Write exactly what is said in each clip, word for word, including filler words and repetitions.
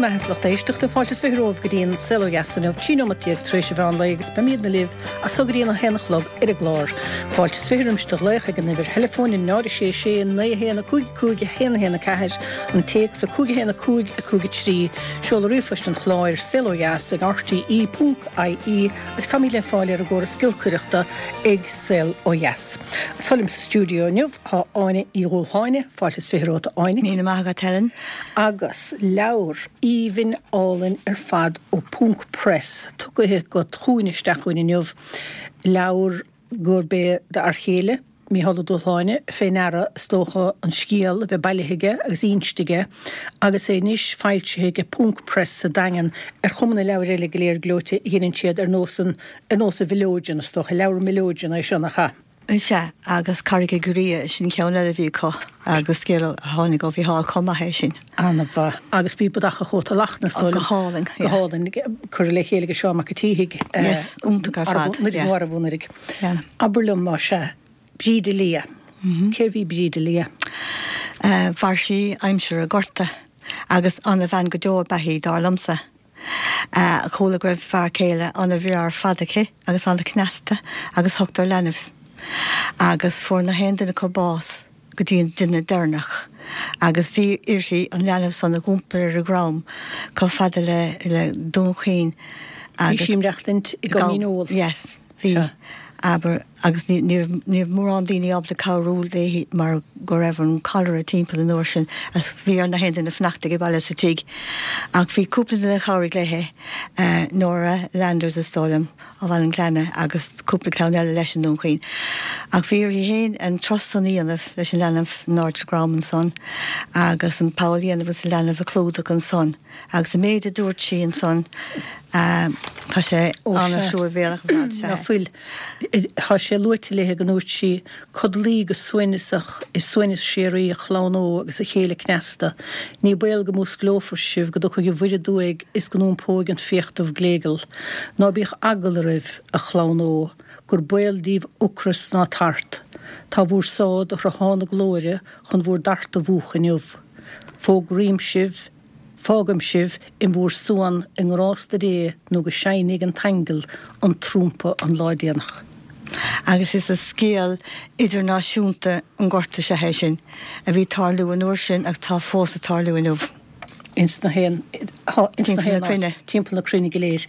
Maith lucht éisteachta fáilte is fiche romhaibh go dtí an Saol Ó Dheas inniu trí nóiméad déag tar éis an mheán lae agus beimidne libh as so go dtí an haon a chlog ar an gclár. Fáilte is fiche roimis do ghlaoch ag an uimhir theileafóin náid a sé sé naoi a haon a cúig cúig a haon a haon a ceathair an téacs a cúig a haon a cúig a cúig a trí seoladh ríomhphoist an chláir saol ó dheas ag rte ponc ie agus táimid le fáil ar an gcóras giolcaireachta ag Saol Ó Dheas. Anseo liom sa stiúideo inniu tá Áine Uí Dhúshláine, fáilte is fiche romhat a Áine. Míle maith agat Helen. Agus leabhar aoibhinn álainn ar fad ó Ponc Press tugtha agat chugainn isteach chugainn inniu, leabhar gurb é d'fhear chéile, Mícheál Ó Dúshláine, fé ndeara is dócha an scéal a bheith bailithe aige agus inste aige agus é anois foilsithe ag Ponc Press sa Daingean ar chuma na leabhair eile go léir gleoite a dheineann siad ar nós an ar nós an Mhileoidin is dócha, leabhar Mileoidin é seo nach ea? Sea, agus Carraig an Ghriath, sin ceann eile a bhí acu agus scéal a tháinig ó Mhícheál chomh maith é sin. An-mhaith. Agus bhí Bodach an Chóta Lachtna, is dóigh liom. Go hálainn, yeah. Go hálainn. Curtha le chéile ag Seán Mac an tSíthigh. Yes, iontach ar fad, yeah. Nó arbh anuraidh. Yeah. Abair liom, más ea, Bríde Liath. Cérbh í Bríde Liath? Mhair sí aimsir an Ghorta agus ana-bhean go deo ab ea í, dar liomsa. Chuala go raibh fear céile ana-bhreá ar fad aici agus ana-chneasta agus ochtar leanbh. Agus fuair na haon duine acu bás go dtí an duine deireanach. Agus bhí uirthi an leanbh san a dh'iompar ar a dhrom chomh fada le le Dún Chaoin agus. Bhí sí ag maireachtaint i gCom Mín Óil. Yes, bhí. Abair, agus ní raibh ní raibh mórán daoine ábalta cabhrú léi mar go raibh an cholera timpeall an uair sin agus bhí ar na haon duine fanacht ag baile sa tigh. Ach bhí cúpla duine a chabhraigh léi, Nora Landers is dóigh liom, ó Bhaile an Ghleanna agus cúpla clann eile leis i nDún Chaoin. Ach bhí uirthi féin an turas san a dhéanamh leis an leanbh in airde a drom ansan agus an poll a dhéanamh agus an leanbh a chlúdach ansan. Agus an méid a dúirt sí ansan, tá sé an-truamhéalach ar fad, sea. Ná fuil. Tá sé luaite léi go ndúirt sí, Codlaídh go suaimhneasach i suaimhneas síoraí, a chlann ó agus a chéile cneasta. Ní baol go músclófar sibh, go dtiocfaidh an Mhuir aduaidh is go n-iompóidh an fiach dubh gléigeal. Ná bíodh eagla oraibh, a chlann ó, gur baol daoibh ocras ná tart. Tá bhúr sáith do shruthán na glóire chun bhúr dtart a mhúchadh inniu. Fógraím sibh. Fágaim sibh in bhúr suan i ngrásta Dé nó go seinnfidh an t-aingeal an trumpa an lá déanach. Agus is scéal idirnáisiúnta an Ghorta is ea é sin, a bhí ag tarlú an uair sin agus atá fós ag tarlú inniu. Ins na haon, ins na haon áit, timpeall na cruinne go léir.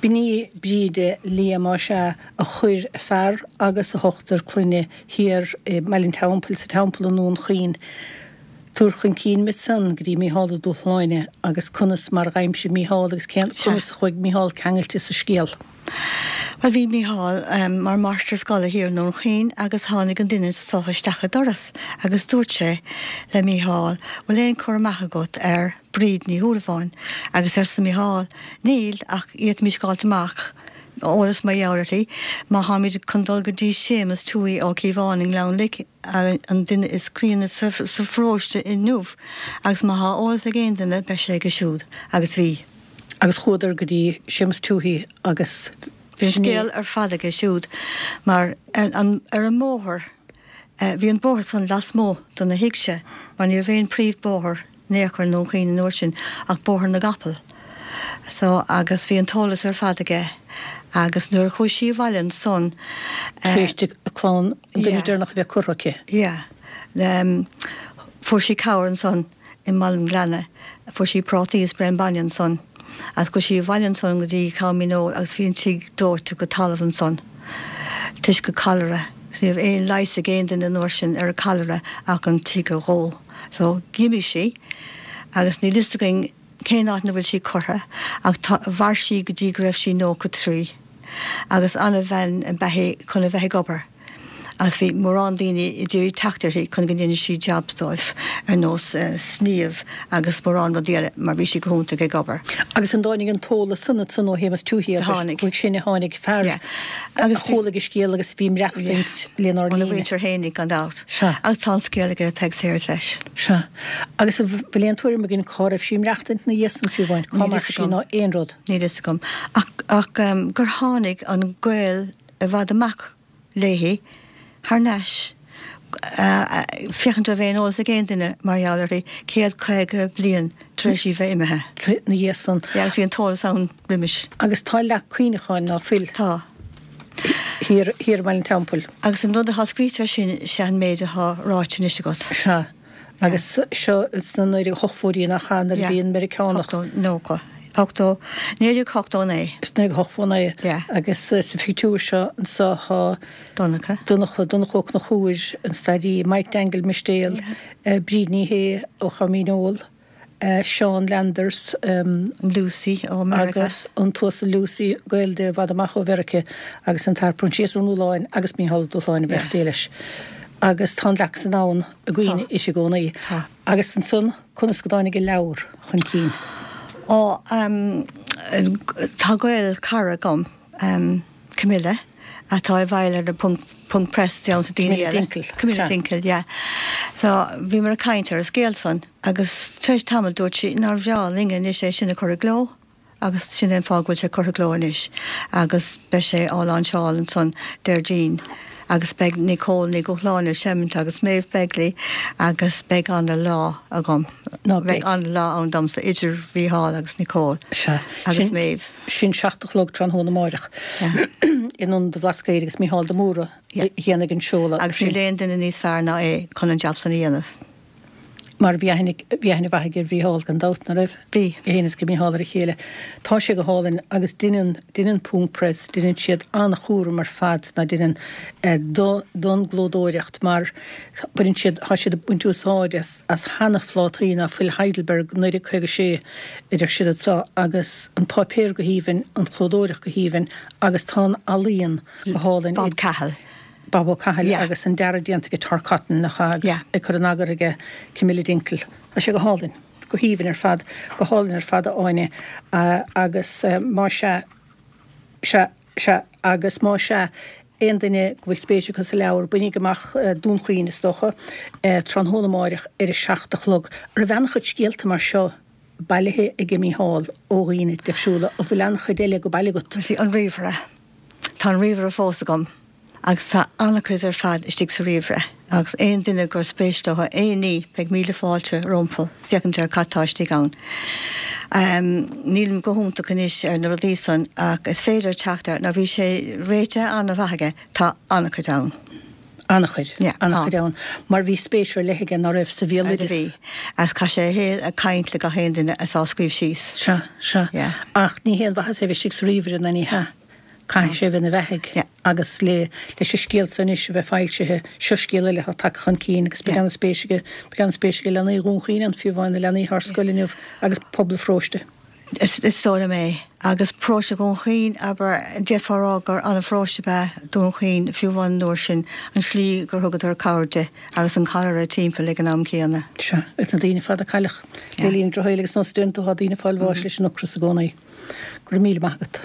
B'in í Bríde Liath más ea a chuir a fear agus a hochtar clainne thiar i mBaile an Teampaill, sa Teampall i nDún Chaoin. Tabhair chun cinn muid ansan go dtí Mícheál Ó Dúshláine agus conas mar dh'aimsigh Mícheál agus cén, conas a chuaigh Mícheál ceangailte sa scéal. Bhuel bhí Mícheál mar mháistir scoile thiar i nDún Chaoin agus tháinig an duine so isteach an doras agus dúirt sé le Mícheál bhfuil aon cur amach agat ar Bríd Ní Shúilleabháin agus arsa Mícheál níl ach d'fhéadfaimis fháilt amach eolas mar gheall uirthi má tháimid chun dul go dtí Séamus Tuohy Ó Cíobháin i nGleann Lich an duine is críonna sa pharóiste inniu agus má thá eolas ag aon duine beidh sé aige siúd. Agus bhí. Agus chuadar go dtí Séamus Tuohy agus Bhí an scéal ar fad aige siúd mar ar an ar an mbóthar bhí an bóthar san lasmuigh de na thigh-se mar ní raibh aon príomh bóthar in aon chor i nDún Chaoin an uair sin ach Bóthar na gCapall. So agus bhí an t-eolas ar fad aige agus nuair a chuaigh sí abhaile ansan eh. Tar éis di a clann, an duine deireanach a bheith curtha aici. Yeah. Fuair sí cabhair ansan i mBaile an Ghleanna, fuair sí prátaí is braon bainne ansan agus chuaigh sí abhaile ansan go dtí Com Mín Óil agus bhí an tigh dóite go talamh ansan toisc an cholera. Ní raibh aon leigheas ag aon duine an uair sin ar an cholera ach an tigh a dhó. So, d'imigh sí agus níl fhios againn cén áit ina bhfuil sí curtha ach tá, mhair sí go dtí go raibh sí nócha trí agus ana-bhean ab ea í chun a bheith ag obair agus bhí mórán daoine ag iarraidh teacht uirthi chun go ndéanadh sí jobs dóibh ar nós sníomh agus mórán rudaí eile mar bhí sí go hiontach ag obair. Agus an dtáinig an t-eolas san ansan ó Shéamus Tuohy, abair, uaidh sin a tháinig fear Yeah. Agus a chualaigh an scéal agus a bhí ag maireachtaint lenár Óna linn. mhuintir fhéinig gan dabht. Sea. Agus tá an scéal aige Peig Sayers leis. Sea. Agus an bhfuil aon tuairim againn cá raibh sí ag maireachtaint ina dhiaidh san fiú amháin, cá Níl mbeadh fhios sí agam. ná aon rud? Níl fhios agam. Ach, ach gur tháinig an gaol i bhfad amach léi thar n-ais Féachaint an raibh aon eolas ag aon duine mar gheall uirthi, céad caoga bliain tar éis í bheith imithe. Ina dhiaidh san. Yeah, agus bhí an t-eolas ann roimis. Agus tá leac cuimhneacháin ná fuil? Tá. Thiar, thiar i mBaile an Teampaill. Agus an rud atá scríte air sin, sea an méid atá ráite anois agat. Sea. Agus seo sna naoi déag ochtóidí nach ea, nuair a bhí an Meiriceánach. Ochtó, nócha. Ochtó, naoi déag ochtó naoi. Is naoi déag ochtó naoi. Yeah. Agus sa phictiúr seo anseo tá. Donncha. Donncha, Donncha Ó Conchúir, an stairí, Mike Dingle Mistéal, Yeah. Bríd Ní Shé ó Chom Dhíneol, Seán Landers, Lucy ó Meiriceá. Agus an tUasal Lucy, gaol di i bhfad amach ó Mheiriceá, agus an tAthair Proinsias Ó Nualláin agus Mícheál Ó Dúshláine a bheadh leis. Agus tá an leac san ann i gcuimhne Tá. uirthi i gcónaí. Tá. Agus ansan, conas go dtáinig an leabhar chun cinn? Ó, tá gaol cara agam, Camilla, atá i bhfeighil ar na Ponc, Ponc Press déanta daoine Camilla eile. Dinkel, Camilla sea. Dinkel, yeah. So, bhíomar ag caint ar an scéal san agus tar éis tamaill dúirt sí nár bhreá linn anois é sin a chur i gcló agus sin é an fáth go bhfuil sé curtha i gcló anois agus beidh sé á láinseáil ansan Déardaoin. Agus beidh Nicole Ní Dhúshláine ag seimint agus Maeve Begley agus beidh ana-lá agam. Ná Beidh beidh. ana-lá ann domsa idir Mhícheál agus Nicole Sea. agus Sin, Maeve. sin seacht a chlog tráthnóna amáireach Yeah. in Ionad an Bhlascaoid agus Mícheál de Mórdha Yeah. a dhéanfaidh an seoladh. Agus níl aon duine níos fearr ná é chun an jab san a dhéanamh. Mar bhí aithne, bhí aithne mhaith aige ar Mhícheál gan dabht, ná raibh? Bhí. É féin is go Mícheál ar a chéile. Tá sé go hálainn agus deineann, deineann Ponc Press, deineann siad an-chúram ar fad ná deineann eh, do, don gclódóireacht mar baineann siad, tá siad ag baint úsáid as, as sheana-phlátaí ná fuil Heidelberg naoi déag caoga sé a deir siad anseo agus an páipéar go haoibhinn, an chlódóireacht go haoibhinn agus tá an ealaíon go hálainn. Bob Cahill. Bob Ó Cathail Yeah. agus an dearadh déanta ag Tor Cotton nach ea agus Yeah. ag cur in eagar aige Camilla Dinkel. Tá sé go hálainn, go haoibhinn ar fad, go hálainn ar fad a Áine agus má sea, sea, sea agus má sea aon duine go bhfuil spéis acu sa leabhar, bainíg amach Dún Chaoin is dócha, tráthnóna amáireach ar a seacht a chlog. Raibh an-chuid scéalta mar seo bailithe aige Mícheál ó dhaoine difriúla, an bhfuil an-chuid eile go baile agat? Sea, an ríomhaire. Tá an ríomhaire fós agam agus tá an-chuid ar fad istigh sa ríomhaire agus aon duine gur spéis leo aon ní beidh míle fáilte rompu féachaint ar cad tá istigh ann. Nílim go hiontach anois ar na rudaí san ach is féidir teacht air, nó bhí sé réitithe an-mhaith aige, tá an-chuid ann. An-chuid, Yeah, an-chuid tá. ann. Mar bhí spéis ar leith aige ná raibh sa bhéaloideas. Bhí. Agus chaith sé a shaol ag caint le gach aon duine is á scríobh síos. Sea, sea. Yeah. Ach ní haon mhaitheas é bheith istigh sa ríomhaire ná ní hea. Caithfidh sé a bheith ina bheathaidh agus le leis an scéal seo anois a bheith foilsithe, seo scéal eile atá tagtha chun cinn agus beidh an-spéis aige, beidh an-spéis aige leanaí Dhún Chaoin ann, fiú amháin na leanaí atá ar scoil inniu agus pobal an pharóiste. Is is dóigh liom é. Agus paróiste Dhún Chaoin, abair, d'fhéadfá a rá gur an-pharóiste ab ea Dún Chaoin fiú amháin an uair sin, an slí gur thugadar cabhair di agus an cholera timpeall ag an am céanna. Sea, agus na daoine fada a cailleadh le linn an drochshaoil agus nós déanta tá daoine ag fáil bháis leis an ocras i gcónaí. Go raibh míle maith agat.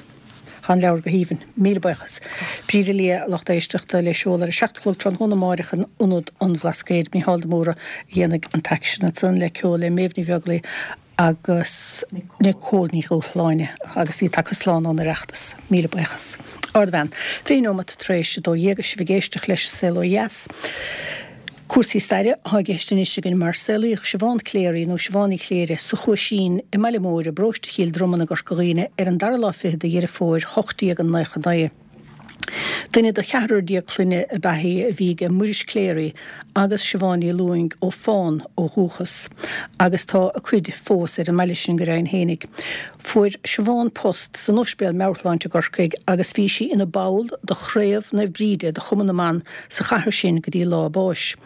Tá an leabhar go haoibhinn. Míle buíochas. Bríd Lia, lucht éisteachta le seoladh ar a seacht a chlog tráthnóna amáireach in Ionad an Bhlascaoid. Mícheál de Mórdha a dhéanfaidh an t-aicsean ansan le ceol le Méabh Ní Bheaglaoi agus Nicole Ní Dhúshláine agus í tagtha slán ón Oireachtas. Míle buíochas. Ardbhean. Fiche nóimeat tar éis a dó dhéag is sibh ag éisteacht leis Saol Ó Dheas. Cúrsaí staire atá i gceist anois againn mar saolaíodh Siobhán Cléirigh nó Siobhán Ní Chléirigh sa Chuaisín i mBaile Móir i bparóiste Chill Dromann i gCorca Dhuibhne ar an dara lá fichead de Dheireadh Fómhair hocht déag nócha naoi. Duine de cheathrar déag clainne ab ea í a bhí aige Muiris Cléirigh agus Siobhán Ní Lúing ó Fán ó dhúchas agus tá a cuid fós ar an mbaile sin go deimhin fhéinig. Fuair Siobhán post san Ospidéal Meabhairshláinte i gCorcaigh agus bhí sí ina ball de Chraobh Naomh Bríde de Chumann na mBan sa chathair sin go dtí lá a báis.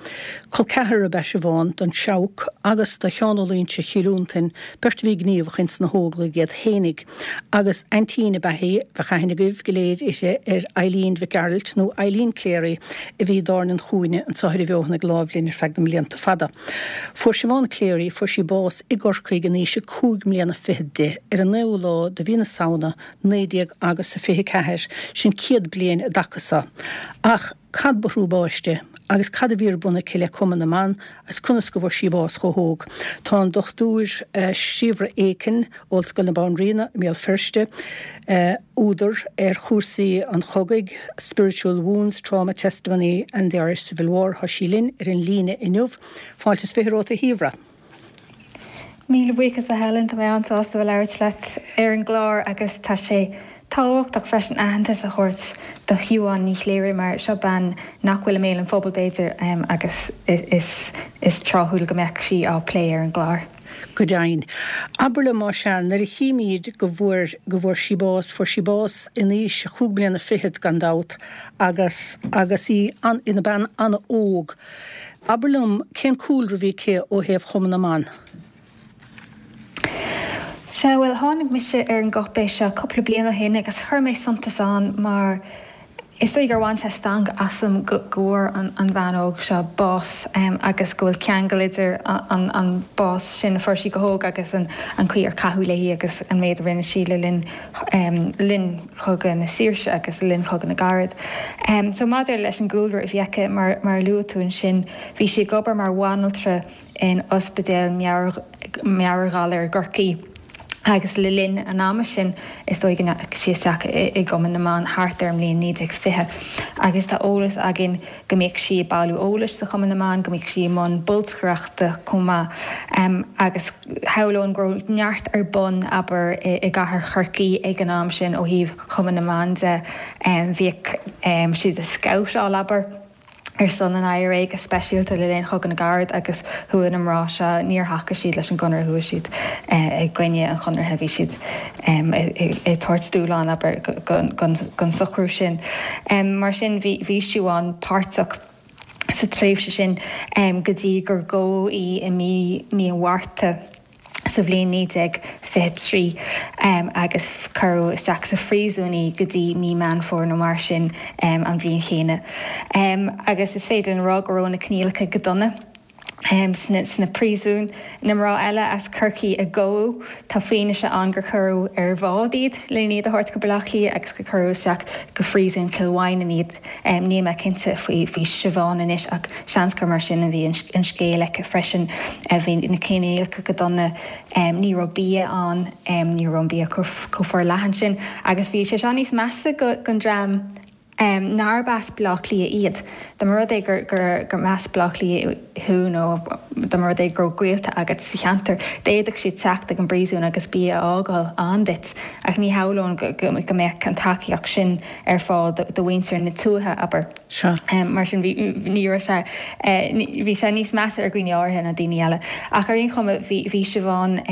Col ceathrar ab ea Siobhán don Seabhac agus do Sheán Ó Loingsigh Chill Fhionntain, beirt a bhí gníomhach ins na hÓglaigh iad fhéinig, agus aintín ab ea í, bheadh aithne agaibh go léir uirthi, ar Eileen Mhic Gearailt nó Eileen Cleary a bhí i dTábhairne an Chúinne anso ar an bhFeothain láimh linn ar feadh na mblianta fada. Fuair Siobhán Cleary, fuair sí bás i gCorcaigh in aois a cúig mbliana fichead di, ar an naoú lá de mhí na Samhna, naoi déag agus a fiche ceathair, sin céad bliain i dtaca so. Ach Cad ba thrú báis di? Agus cad a bhí ar bun aici le Cumann na mBan agus conas go bhfuair sí bás chomh hóg? Tá an Dochtúir Síobhra Aiken, Ollscoil na Banríona i mBéal Feirste, údar ar chúrsaí an chogaidh, Spiritual Wounds, Trauma, Testimony and the Irish Civil War, tá sí linn ar an líne inniu. Fáilte is fiche romhat a Shíobhra. Míle buíochas a Helen, tá mé an-sásta bheith labhairt leat ar an gclár agus tá sé tábhachtach freisin aitheantas a thabhairt do Shiobhán Ní Chléirigh mar seo bean nach bhfuil i mbéal an phobail b'fhéidir agus is is tráthúil go mbeadh sí á plé ar an gclár. Go deimhin. Abair liom más ea, nuair a chímid go bhfuair go bhfuair sí bás, fuair sí bás in aois a chúig bliana fichead gan dabht agus agus í an ina bean an-óg. Abair liom cén cúlra a bhí aici ó thaobh Chumann na mBan? Sea, bhuel, tháinig mise ar an gcáipéis seo cúpla bliain ó shin agus chuir mé suntas ann mar is dóigh gur bhain sé stangadh asam go bhfuair an bhean óg seo bás agus go bhfuil ceangal idir an bás sin a fuair sí go hóg agus an chaoi ar caitheadh léi agus an méid a rinne sí le linn linn Chogadh na Saoirse agus le linn Chogadh na gCarad. So maidir leis an gcúlra a bhí aici, mar a luaigh tú ansin, bhí sí ag obair mar bhanaltra in Ospidéal Meabhair-Ghalar i gCorcaigh agus le linn an ama sin is dóigh go ndeachaigh sí isteach i gCumann na mBan thart ar an mbliain naoi déag fiche agus tá eolas againn go mbíodh sí ag bailiú eolais do Chumann na mBan, go mbíodh sí i mbun bolscaireachta chomh maith agus shamhlóinn go raibh neart ar bun, abair, i gcathair Chorcaí ag an am sin ó thaobh Chumann na mBan de. Bhíodh siad ag scabhtáil, abair. ar son an I R A go speisialta le linn Chogadh na gCarad agus chuaigh na mná seo, níor thacaigh siad leis an gConradh, chuaigh siad i gcoinne an Chonartha, bhí siad ag tabhairt dúshlán, abair, don socrú sin. Mar sin bhí Siobhán páirteach sa tréimhse sin go dtí gur gabhadh í i mí an Mhárta. sa bhliain naoi déag fiche trí agus cuireadh isteach sa phríosún í go dtí mí Meán Fómhair nó mar sin an bhliain chéanna. Agus is féidir linn a rá go raibh na coinníollacha go dona sna príosúin. Na mná eile as Corcaigh a gabhadh, tá fianaise ann gur cuireadh ar bhád iad lena iad a thabhairt go Baile Átha Cliath agus gur cuireadh isteach go phríosún Chill Mhaighneann iad. Níl mé cinnte faoi Siobhán anois ach seans gur mar sin a bhí an scéal aici freisin. Bhí na coinníollacha go dona, ní raibh bia ann, ní raibh an bia chomh forleathan sin agus bhí sé seo níos measa don dream nárb as Baile Átha Cliath iad. Dá mba rud é gur as Baile Átha Cliath thú nó dá mba rud é go raibh gaolta agat sa cheantar, d'fhéadfadh siad teacht ag an bpríosún agus bia a fhágáil ann duit. Ach ní shamhlóinn go mbeadh an tacaíocht sin ar fáil do mhuintir na tuaithe, abair. Sea. Mar sin, bhí, ní raibh sé, bhí sé níos measa ar dhaoine áirithe ná daoine eile. Ach ar aon chuma, bhí, bhí Siobhán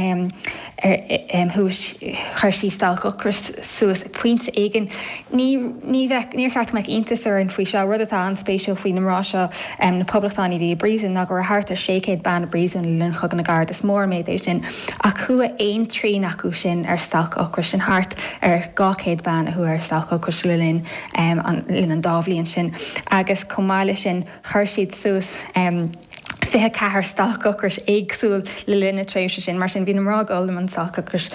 thuas, chuir sí stailc ocrais suas ag pointe éigin. Ní, ní bheadh, níor cheart go mbeadh iontas orainn faoi seo. Rud atá an-spéisiúil faoi na mná seo, na poblachtánaigh a bhí i bpríosún, ná go raibh thart ar sé chéad bean i bpríosún le linn Chogadh na gCarad. Is mór an méid é sin. Ach chuaigh aon trian acu sin ar stailc ocrais, sin thart ar dhá chéad bean a chuaigh ar stailc ocrais le linn an linn an dá bhliain sin. Agus chomh maith leis sin, chuir siad suas fiche ceathair stailc ocrais éagsúil le linn na tréimhse sin. Mar sin, bhí na mná ag dul i mbun stailc ocrais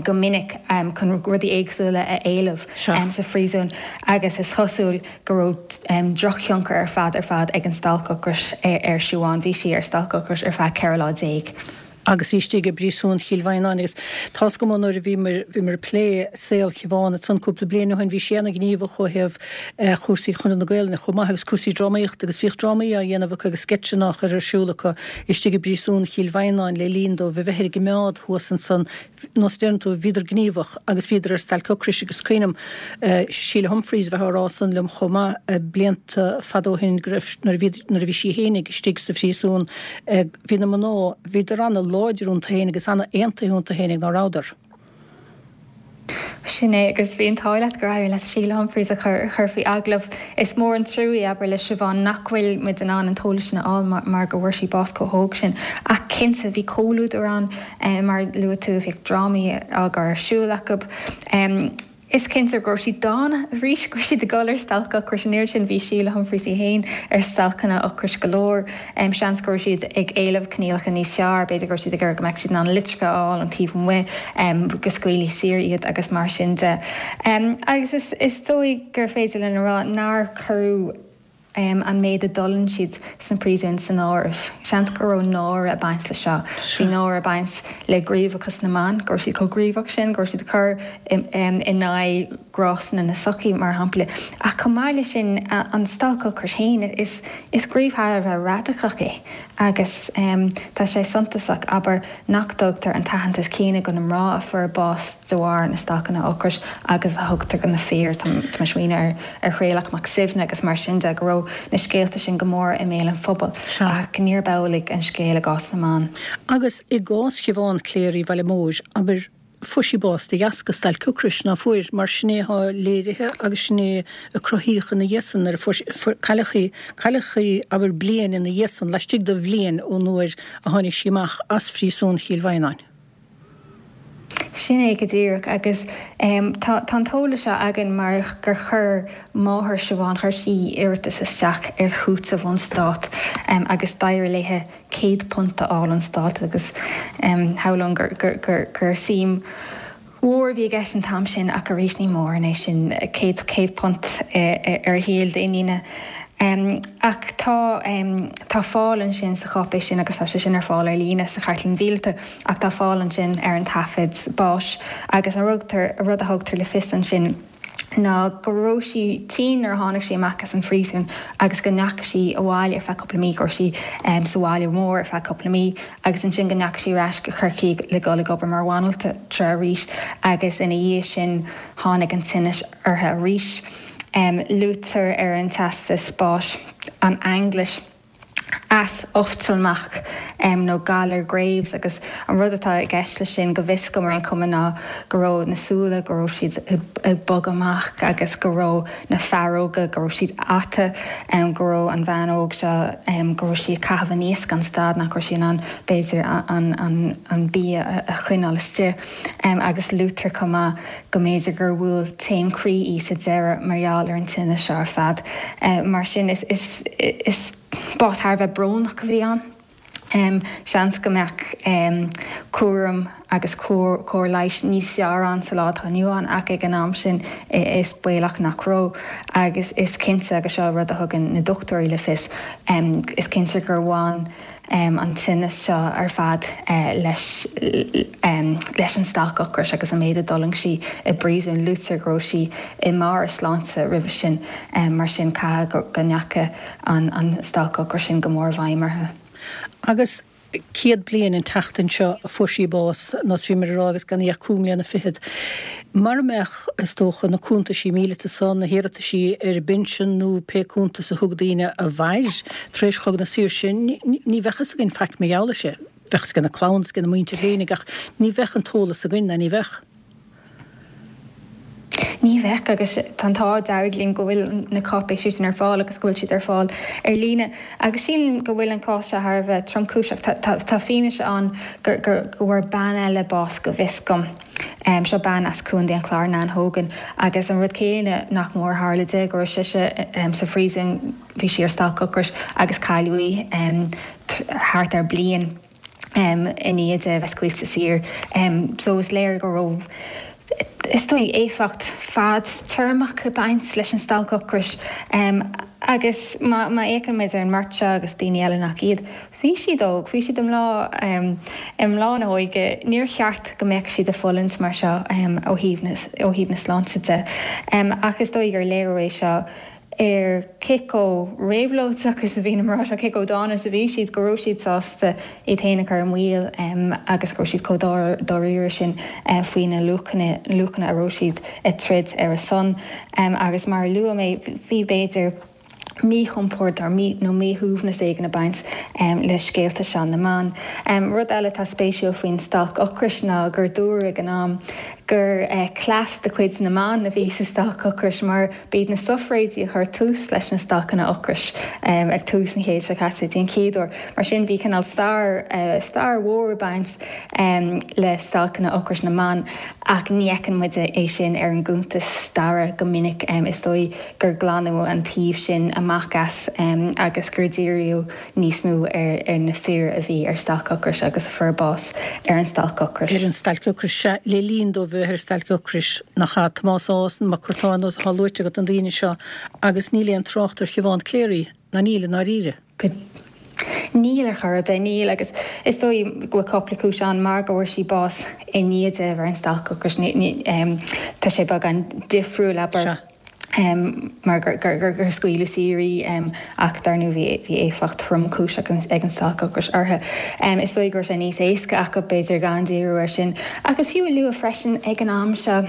go minic chun rudaí éagsúla a éileamh sa phríosún agus is cosúil go raibh drochthionchar ar fad ar fad ag an stailc ocrais ar Siobhán. Bhí sí ar stailc ocrais ar feadh ceithre lá déag. Agus í istigh i bpríosún Chill Mhaighneáin agus tá's agam ó nuair a bhíomar bhíomar ag plé saol Shiobhán ansan cúpla bliain ó shin bhí sí ana-ghníomhach ó thaobh chúrsaí Chonradh na Gaelainne chomh maith agus cúrsaí drámaíochta agus bhíodh drámaí á dhéanamh acu agus sceitseanna á chur ar siúl acu istigh i bpríosún Chill Mhaighneáin le linn dóibh a bheith ar a gcimeád thuas ansan. Nós a deireann tú, bhíodar gníomhach agus bhíodar ar stailc ocrais agus cuimhním Síle Humphreys a bheith á rá san liom chomh maith blianta fada ó shin go raibh, nuair a bhí, nuair a bhí sí fhéinig istigh sa phríosún, bhí na mná, bhíodar ana-láidir iontu fhéinig agus ana-aontaithe iontu fhéinig, ná rabhadar? Sin é, agus bhí an t-ádh leat gur éirigh leat Síle Humphreys a chur chur faoi agallamh. Is mór an trua é, abair, le Siobhán nach bhfuil muid in ann an t-eolas sin a fháil mar mar go bhfuair sí bás chomh hóg sin. Ach cinnte, bhí comhluadar ann, mar a luaigh tú, bhíodh drámaí á gcur ar siúl acu. Is cinnte go raibh siad dána arís, go raibh siad ag dul ar stailc ocrais. An oiread sin, bhí Síle Humphreys í féin ar stailceanna ocrais go leor. Seans go raibh siad ag éileamh coinníollacha níos fearr, b'fhéidir go raibh siad ag iarraidh go mbeadh siad in ann litreacha a fháil ón taobh amuigh, go scaoilfí saor iad agus mar sin de. Agus is dóigh gur féidir linn a rá nár cuireadh an méid a d'fhulaing siad sna príosúin san áireamh. Seans go raibh náire ag baint leis seo. Bhí náire ag baint le gníomhachas na mban, go raibh siad chomh gníomhach sin, go raibh siad ag cur in aghaidh gnásanna na sochaí, mar shampla. Ach chomh maith leis sin, an stailc ocrais féin, is is gníomh thar a bheith radacach é agus tá sé suntasach, abair, nach dtugtar an t-aitheantas céanna do na mná a fuair bás de bharr na stailceanna ocrais agus a thugtar do na fir. Tá mé ag smaoineamh ar Thraolach Mac Suibhne agus mar sin de, go raibh na scéalta sin go mór i mbéal an phobail, ach níorb amhlaidh an scéal i gcás na mban. Agus i gcás Shiobhán Cléirigh Bhaile Móir, abair, fuair sí bás de dheasca stailc ocrais, ná fuair? Mar sin é atá léirithe agus sin é a cruthaíodh ina dhiaidh san nuair a fuair sí, cailleadh í, cailleadh í, abair, bliain ina dhiaidh san, laistigh de bhliain ón uair a tháinig sí amach as phríosún Chill Mhaighneáin. Sin é go díreach agus tá an t-eolas seo againn mar gur chuir máthair Siobhán, chuir sí iarratas isteach ar chúiteamh ón stát agus d'éirigh léithe céad punt a fháil ón stát agus shamhlóinn gur suim mhór a bhí i gceist an t-am sin ach arís ní mórán é sin, céad céad punt ar shaol d'iníne. Ach tá tá fáil ansin sa cháipéis sin agus tá sé sin ar fáil ar líne sa Chartlann Mhíleata ach tá fáil ansin ar an taifead báis agus an rud a thugtar le fios ansin ná go raibh sí tinn nuair a tháinig sí amach as an phríosún agus go ndeachaigh sí abhaile ar feadh cúpla mí, go raibh sí sa bhaile mór ar feadh cúpla mí agus ansin go ndeachaigh sí ar ais go Corcaigh le dul ag obair mar bhanaltra arís agus ina dhiaidh sin tháinig an tinneas uirthi arís. Luaitear ar an teastas báis an ainglis eas oftalmach nó galar Graves agus an rud atá i gceist leis sin, go bhfios dom ar aon chuma, ná go raibh na súile, go raibh siad ag bogadh amach agus go raibh na faireoga, go raibh siad ata, go raibh an bhean óg seo, go raibh sí ag caitheamh aníos gan stad, nach raibh sí in ann b'fhéidir an bia a choinneáil istigh agus luaitear chomh maith go mb'fhéidir gur bhuail taom croí í sa deireadh mar gheall ar an tinneas seo ar fad. Mar sin is is bás thar a bheith brónach a bhí ann. Seans go mbeadh cúram agus cóir leighis níos fearr ann sa lá atá inniu ann ach ag an am sin is baolach nach raibh. Agus is cinnte, agus seo rud a thugann na dochtúirí le fios, is cinnte gur bhain an tinneas seo ar fad leis leis an stailc ocrais agus an méid a d'fhulaing sí i bpríosún. Luaitear go raibh sí i mbarr a sláinte roimhe sin, mar sin caithfidh go ndeachaigh an stailc ocrais sin go mór i bhfeidhm uirthi. Agus céad bliain an tseachtain seo a fuair sí bás, nós bhíomar ag rá, agus gan í ach cúig mbliana fichead. Mara mbeadh, is dócha, na cuntaisí míleata san, na hiarrataisí ar an bpinsean nó pé cuntas a thug daoine a mhair tar éis Chogadh na Saoirse, ní bheadh fhios againn faic mar gheall air sin. Bheadh fhios ag na clann is ag na muintir fhéinig ach ní bheadh an t-eolas againn, ná ní bheadh. Ní bheadh, agus tá an t-ádh dearg linn go bhfuil na cáipéisí sin ar fáil agus go bhfuil siad ar fáil ar líne. Agus sílim go bhfuil an cás seo thar a bheith tromchúiseach. Tá fianaise ann go bhfuair bean eile bás go bhfios dom. Seo bean as Contae an Chláir, Nan Hogan, agus an rud céanna nach mór a tharla di, go raibh sise sa phríosún, bhí sí ar stailc ocrais agus cailleadh í thart ar bliain. i ndiaidh di a bheith scaoilte saor. So is léir go raibh, is dóigh, éifeacht fadtéarmach ag baint leis an stailc ocrais. Agus má fhéachann muid ar an mbeirt seo agus daoine eile nach iad, bhí siad óg, bhí siad i mbláth, i mbláth na hóige, níor cheart go mbeadh siad ag fulaingt mar seo ó thaobh na, ó thaobh na sláinte de. Ach is dóigh gur léiriú é seo ar cé chomh réabhlóideach is a bhí na mná seo, cé chomh dána is a bhí siad, go raibh siad sásta iad féin a chur i mbaol agus go raibh siad chomh dáiríre sin faoi na luachanna, luachanna a raibh siad ag troid ar a son. Agus mar a luaigh mé, bhí b'fhéidir míchompord nó míshuaimhneas éigin ag baint le scéalta seo na mban. Rud eile atá spéisiúil faoin stailc ocrais ná gur dúradh ag an am gur cleas de chuid na mban a bhí sa stailc ocrais mar b'iad na sufraigéidí a chuir tús leis na stailceanna ocrais ag tús an chéid seo caite den chéad uair. Mar sin bhí cineál stair, stair mhór ag baint le stailceanna ocrais na mban ach ní fheiceann muid é sin ar an gcuntas staire go minic. Is dóigh gur glanadh an taobh sin amach as agus gur díríodh níos mó ar na fir a bhí ar stailc ocrais agus a fuair bás ar an stailc ocrais. Ar an stailc ocrais, sea, le linn dóibh bheith ar stailc ocrais, nach ea? Tomás Ághas, Mac Curtáin, atá luaite agat na daoine seo agus níl aon trácht ar Shiobhán Clery, ná níl i ndáiríre. Níl ar chor ar bith, níl agus is dóigh go bhfuil cúpla cúis ann mar go bhfuair sí bás i ndiaidh di a bheith ar an stailc ocrais, tá sé beagán difriúil, abair, mar gur scaoileadh saor í ach dar ndóigh bhí bhí éifeacht thromchúiseach ag an stailc ocrais uirthi. Is dóigh go raibh sé níos éasca acu b'fhéidir gan díriú air sin. Ach is fiú a lua freisin ag an am seo,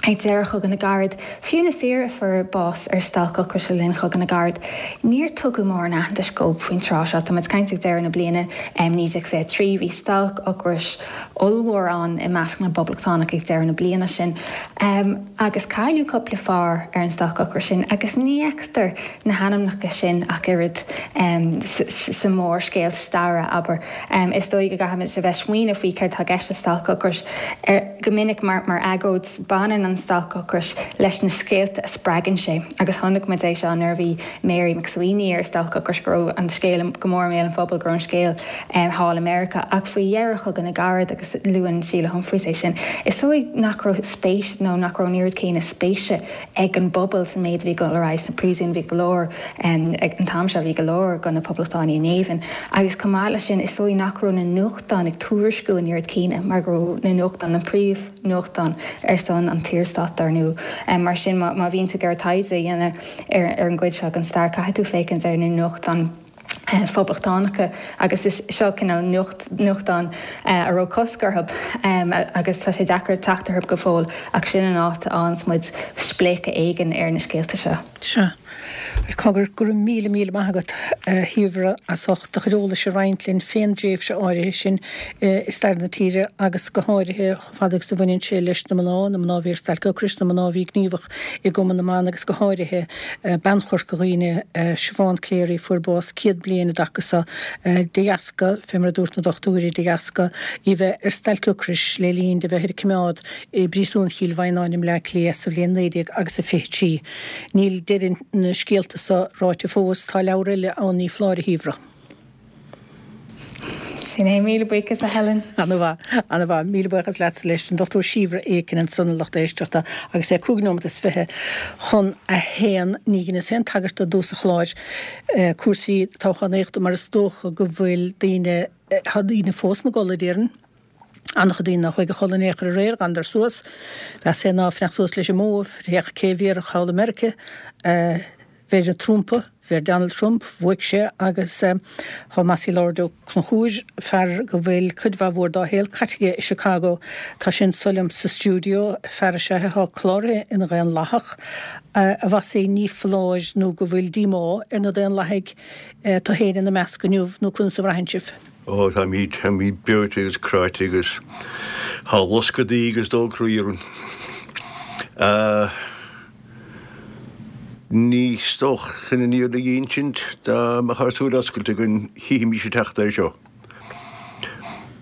ag deireadh Chogadh na gCarad, fiú na fir a fuair bás ar stailc ocrais le linn Chogadh na gCarad, níor tugadh mórán aitheantais dóibh faoin tráth seo. Tá muid ag caint ag deireadh na bliana naoi déag fiche a trí. Bhí stailc ocrais ollmhór ann i measc na bPoblachtánach ag deireadh na bliana sin agus cailleadh cúpla fear ar an stailc ocrais sin agus ní fheictear na hainmneacha sin ach oiread sa mhórscéal staire, abair. Is dóigh go gcaithfimid a bheith ag smaoineamh faoi céard atá i gceist le stailc ocrais. Go minic mar agóid, baineann an stailc ocrais leis na scéalta a spreagann sé agus chonaic muid é seo nuair a bhí Mary MacSwiney ar stailc ocrais go raibh an scéal go mór i mbéal an phobail, go raibh an scéal thall i Meiriceá. Ach faoi dheireadh Chogadh na gCarad, agus luann Síle Humphreys é sin, is dóigh nach raibh spéis nó nach raibh an oiread céanna spéise ag an bpobal sa méid a bhí ag dul ar aghaidh sna príosúin. Bhí go leor, ag an t-am seo, bhí go leor de na Poblachtánaigh i ngéibheann. Agus chomh maith leis sin, is dóigh nach raibh na nuachtáin ag tuairisciú an oiread céanna mar go raibh na nuachtáin, na príomhnuachtáin ar son an tSaorstáit, dar ndóigh. Mar sin, má bhíonn tú ag iarraidh taighde a dhéanamh ar an gcuid seo den stair, caithfidh tú féachaint ar na nuachtáin phoblachtánacha agus is seo cineál nuachtán a raibh cosc orthu agus tá sé deacair teacht orthu go fóill ach sin an áit a fhaigheanns muid spléachadh éigin ar na scéalta seo. Sea. Bhuel, cogar, go raibh míle míle maith agat, a Shíobhra, as ucht do chuid eolais a roinnt linn fén dtréimhse áirithe sin i stair na tíre agus go háirithe chomh fada agus a bhaineann sé leis na mná, na mná a bhí ar stailc ocrais, na mná a bhí gníomhach i gCumann na mBan agus go háirithe bean Chorca Dhuibhne, Siobhán Clery, a fuair bás céad bliain i dtaca so de dheasca, fé mar a dúirt na dochtúirí, de dheasca í bheith ar stailc ocrais le linn di bheith ar coimeád i bPríosún Chill Mhaighneáin i mBleá Cliath sa bhliain naoi déag agus a fiche trí. Níl deireadh na scéalta so ráite fós. Tá leabhar eile ann, ní foláir, a Shíobhra. Sin é. Míle buíochas, a Helen. Ana-mhaith. Ana-mhaith. Míle buíochas leatsa leis. An Dochtúir Síobhra Aiken ansan, a lucht éisteachta, agus é cúig nóimeat is fiche chun a haon. Ní dheineas aon tagairt do i dtús an chláir, cúrsaí toghchánaíochta mar is dócha go bhfuil daoine, tá daoine fós ina gcodladh, déarfainn. An-chuid daoine nár chuaigh a chodladh in aon chor aréir, d'fhanadar suas. B'fheasa é ná fanacht suas leis an mbó, féach cé a bhéarfadh thall i Meirice. Bheir an Trumpa, bheir Donald Trump, bhuaigh sé agus tá Mossy Lord Ó Conchúir, fear go bhfuil cuid mhaith mhór dá shaol caite aige i Chicago, tá sé anso liom sa stiúideo, fear is ea é atá cláraithe ina Dhaonlathach. A Mhossie, ní foláir nó go bhfuil díomá ar na Daonlathaigh, tú féin ina measc inniu, nó conas a bhraitheann sibh? Ó, táimid, táimid breoite agus cráite agus tá loscadh dí agus dó croí orainn. Ní is dócha chun an fhírinne a insint, dá mbeadh ár súile oscailte againn, chífimis ag teacht é seo.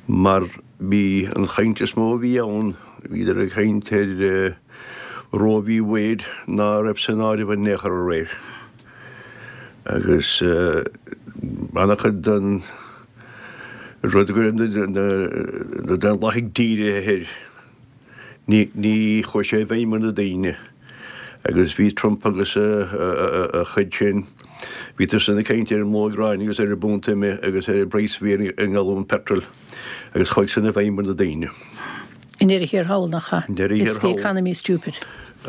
Mar bhí an chaint is mó a bhí ann, bhíodar ag caint ar Roe v. Wade ná raibh san áireamh in aon chor aréir. Agus an-chuid den rud go raibh na Daonlathaigh dírithe air, Ní chuaigh sé i bhfeidhm ar na daoine agus bhí Trump agus a chuid sin, bhíodar san ag caint ar an mblogh gráin agus ar an bpunt ime agus ar an bpraghas a bhí ar an ngalún peitril agus chuaigh san i bhfeidhm ar na daoine. I ndeireadh thiar thall, nach ea? I ndeireadh thiar It's the thall. economy, stupid.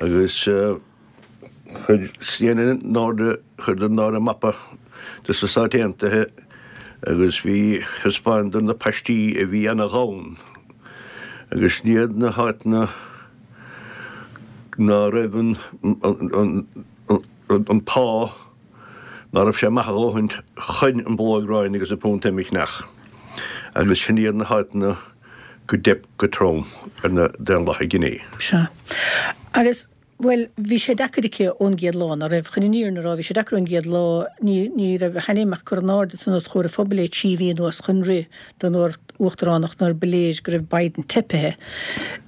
Agus chuir CNN in airde, chuireadar in airde mapa de na Stáit Aontaithe agus bhí, thaispeánadar na paistí a bhí ana-ghann agus sin iad na háiteanna ná raibh an, an, an pá, ná raibh sé maith a dhóthaint chun an blogh gráin agus an punt ime a cheannach agus sin iad na háiteanna go dteip go trom ar na Daonlathaigh inné. Sea. Agus Bhuel, bhí sé deacair aici ón gcéad lá, ná raibh? Chun an fhírinne a rá, bhí sé deacair ón gcéad lá, ní, ní raibh a hainm ach curtha in airde san os comhair an phobail le trí mhí anuas chun rith don uachtaránacht nuair ba léir go raibh Biden teipithe.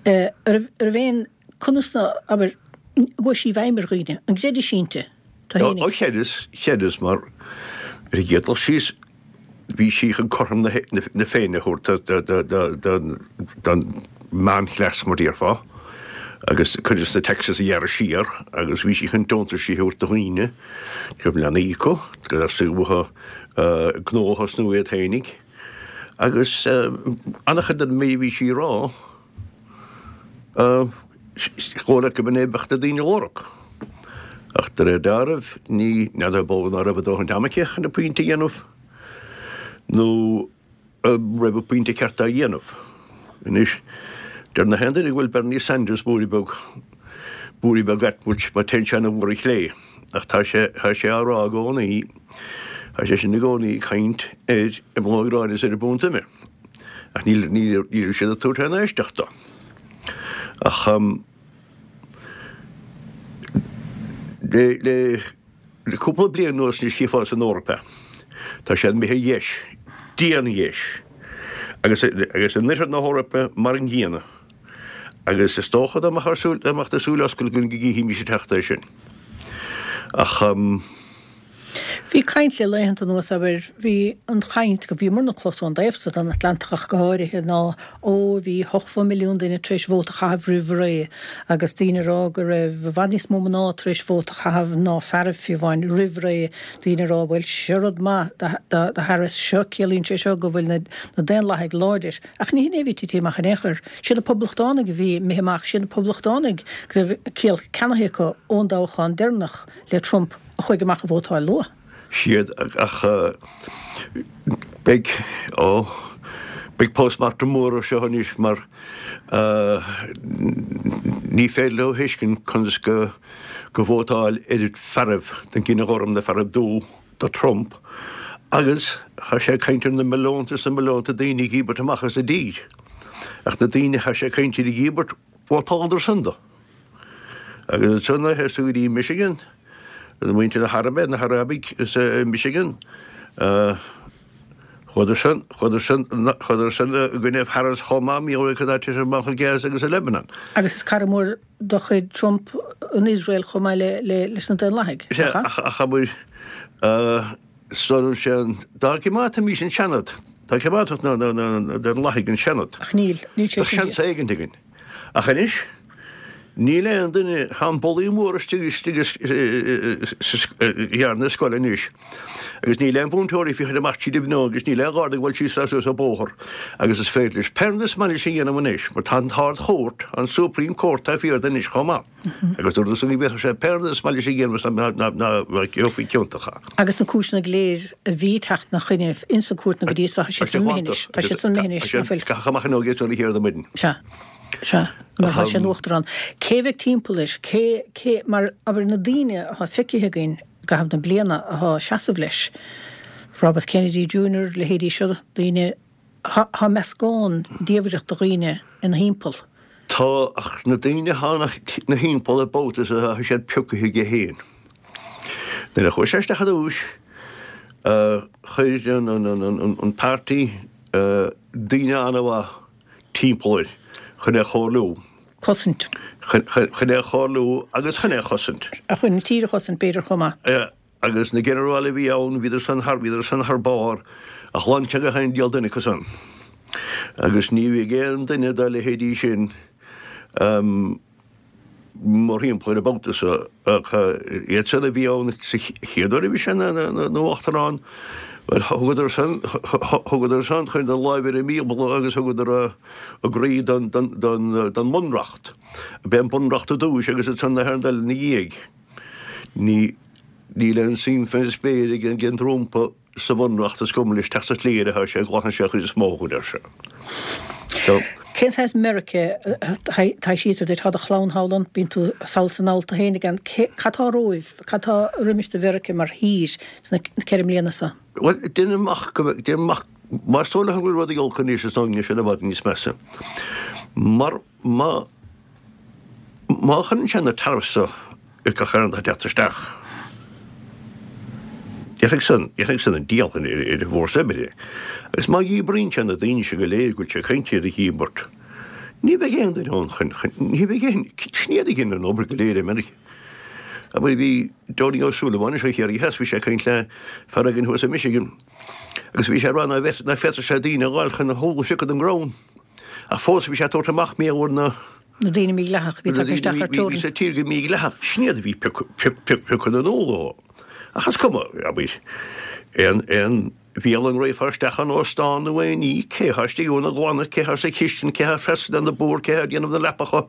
An raibh, an raibh aon, conas ná, abair, an gcuaigh sí i bhfeidhm ar dhaoine? An gcreidis inti? Tá Ó, fhéinig. chreideas, chreideas mar ar an gcéad dul síos, bhí sí chun cothrom na, na Féinne a thabhairt do, do, do, do, don meánchleas mar déarfá, agus cuid de na taxes a ghearradh siar agus bhí sí chun deontaisí a thabhairt do dhaoine go raibh leanaí acu, go raibh uathu gnó a thosnú iad féinig. Agus an-chuid den méid a bhí sí a rá, is dóigh leat go b'in é a bheadh na daoine a lorg. Ach de réir dealraimh, ní n'fheadar b'fhéidir ná raibh a dóthain ama aici chun a pointe a dhéanamh nó an raibh a pointe ceart á dhéanamh. Anois, deir na haon duine go bhfuil Bernie Sanders blúirí beag, blúirí beag ait mar téann sé ana-mhór ar chlé. Ach tá sé, tá sé á rá i gcónaí, tá sé sin i gcónaí ag caint ar an mblogh gráin is ar an bpunt ime. Ach níl, níl, níl siad ag tabhairt aon éisteacht dó. Ach le, le, le cúpla bliain anuas anois chífeá san Eoraip é. Tá sé imithe ar dheis, dian-dheis. Agus, agus in oirthear na hEorpa mar an gcéanna. Agus is dócha dá mbeadh ár súil, dá mbeadh na súile oscailte againn go gcífimis ag teacht é sin. Ach. Bhí caint le laethanta anuas, abair, bhí an chaint, go bhíomarna ag clos ón dtaobh so den Atlantach ach go háirithe, ná ó bhí ochtó milliún duine tar éis vóta a chaitheamh roimh ré agus daoine ag rá go raibh i bhfad níos mó mná tar éis vóta a chaitheamh ná fearaibh fiú amháin roimh ré, daoine ag rá bhuel seo rud maith do Harris, seo, ciallaíonn sé seo go bhfuil na Daonlathaigh láidir. Ach ní hin é a bhí tite amach in aon chor. Siad na Poblachtánaigh a bhí imithe amach, siad na Poblachtánaigh go raibh ciall ceannaithe acu ón dtoghchán deireanach le Trump. a chuaigh amach a vótáil luath. siad ach beidh, ó, beidh post-mortem mór ar seo anois mar ní féidir leo a thuiscint conas go go vótáil oiread fearaibh den gcine ghorm na fearaibh dubh do Trump agus tá sé ag caint ar na milliúnta is na milliúnta daoine a dhíbirt amach as an dtír ach na daoine atá sé ag caint ar a dhíbirt vótáladar san dó. Agus ansan ar tú go dtí Michigan, muintir na hAraibe, na hArabaigh i Michigan, chuadar san, chuadar san, chuadar san i gcoinne Harris chomh maith, mar gheall ar cad atá tite amach i Gaza agus i Lebanon. Agus is cara mór de chuid Trump an Iosrael chomh maith le, le, leis na Daonlathaigh, nach ea? Ach, ach abair, san sin, dá gcoimeádfaimis an Seanad, dá gcoimeádfadh na, na, na Daonlathaigh an Seanad, Ach níl, níl sé bheadh sin seans éigint againn. Ach anois, níl aon duine, tá an bulaí mór istigh istigh sa gcearn scoile anois agus níl aon mhúinteoirí ag féachaint amach tríd an bhfuinneog agus níl aon gharda ag dul síos ná suas an bóthar agus is féidir leis pé rud is maith leis a dhéanamh anois mar tá an tArd-Chúirt, an Supreme Court taobh thiar de anois chomh maith agus dúradar san go bhféadfadh sé pé rud is maith leis a dhéanamh is ná gheofaí ciontach é. Agus na cúiseanna go léir a bhí ag teacht ina choinne ins na cúirteanna go dtí seo, tá siad san imithe anois, tá siad san imithe anois, ná fuil? Caitheadh amach an óige ón chéad maidin. Sea. Sea, mar tá sé ina uachtarán. Cé bheidh timpeall air? Cé, cé, mar, abair, na daoine atá feicthe againn i gcaitheamh na bliana atá ag seasamh leis, Robert Kennedy Junior, leithéidí seo, daoine, tá, tá meascán diamhrach de dhaoine ina thimpeall. Tá, ach na daoine atá ina thimpeall ar babhta is atá siad pioctha aige féin. Nuair a chuaigh sé isteach ar dtúis, chuir an, an, an, an páirtí daoine an-mhaith timpeall air chun é a chomhairliú. Cosaint. Chun é a chomhairliú agus chun é a chosaint. Chun an tír a chosaint, b'fhéidir, chomh maith. Agus na ginearáil a bhí ann, bhíodar san thar, bhíodar san thar barr, ach ghlan sé gach aon diabhal duine acu san. Agus ní bheidh aon duine dá leithéidí sin mórthimpeall air an babhta seo, ach iad san a bhí ann sa chéad uair a bhí sé ina uachtarán, bhuel, thugadar san, thugadar san, chuireadar láimh ar an mBíobla agus thugadar a gcroí don, don, don, don mBunreacht. B'é an Bunreacht ar dtúis agus ansan na haon rud eile ina dhiaidh. Ní, níl aon suim fén spéir ag an Trump. sa Bhunreacht is cuma leis teacht sa tslí ar atá sé, glanfaidh sé an chuid is mó a deir sé. So. Cén saghas Meiriceá atá síltear duit? Tá do chlann thall ann, bíonn tú sall is anall tú féin again. Cad tá romhaibh? Cad tá roimis do Mheiriceá mar thír sna ceithre mbliana seo? Bhuel, déanaim amach go, déanaim amach, más dóigh leo go bhfuil rudaí olc anois is dóigh go mbeidh siad i bhfad níos measa. Mar má. Má chuireann sé na tariffs seo ar gach aon rud atá ag teacht isteach, déanfaidh san, déanfaidh san an diabhal ar an bhfórsa oibre. Agus má dhíbríonn sé na daoine seo go léir go bhfuil sé ag caint iad a dhíbirt, ní bheidh aon duine ann chun, chun, ní bheidh aon, sin iad a dhéanann an obair go léir i Meiriceá. Abair bhí Donie Ó Súilleabháin anseo Chiarraí Theas, bhí sé ag caint le fear éigin thuas i Michigan agus bhí sé ag rá ná féadfadh sé daoine a dh'fháil chun na húlla a phiocadh den gcrann. Ach fós bhí sé ag tabhairt amach mé na Na daoine mídhleathach a bhí tagtha isteach thar teorainn. Bhí sa tír go mídhleathach, sin iad a bhí piocadh na n-ól ó. Ach is cuma, abair, aon aon bhialann raghfá isteach in óstán nó aon ní, cé thá istigh ann a ghlanadh, cé thá sa chistin, cé thá freastal ar na bord, cé thá ag déanamh na leapacha,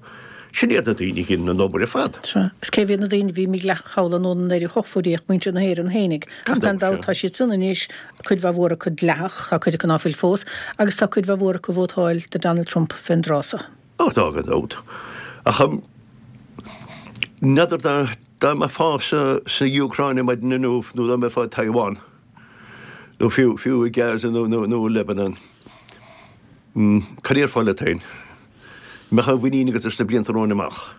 sin iad na daoine a dhein an obair ar fad. Sea. Agus cé hiad na daoine a bhí mídhleathach thall anonn anoir a thiocfadh ach muintir na hÉireann fhéinig. Ach gan dabht tá siad san anois, cuid mhaith mhór acu dleathach, tá cuid acu ná fuil fós, agus tá cuid mhaith mhór acu ag vótáil do Donald Trump fén dtráth so. Ó tá gan dabht. Ach n'fheadar dá dá mbeifeá sa sa Úcráin ar maidin inniu nó dá mbeifeá i Taiwan nó fiú fiú i Gaza nó nó nó i Lebanon. Cad a déarfá leat féin? Mbeadh aon mhuinín agat as na blianta romhainn amach?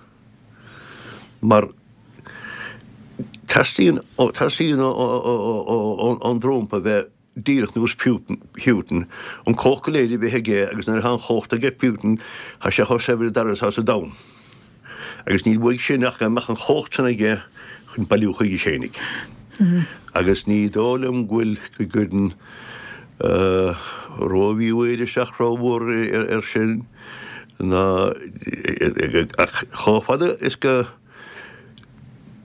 Mar teastaíonn teastaíonn ón Trump a bheith díreach nós Putin, an chumhacht go léir a bheith aige agus nuair atá an chumhacht aige Putin tá sé chomh saibhir dar atá sa domhan. Agus níl uaidh sin ach go mbeadh an chumhacht sin aige chun bailiú chuige féinig. Agus ní dóigh liom go bhfuil go gcuireann rómhíúil isteach rómhór air sin ná ach chomh fada is go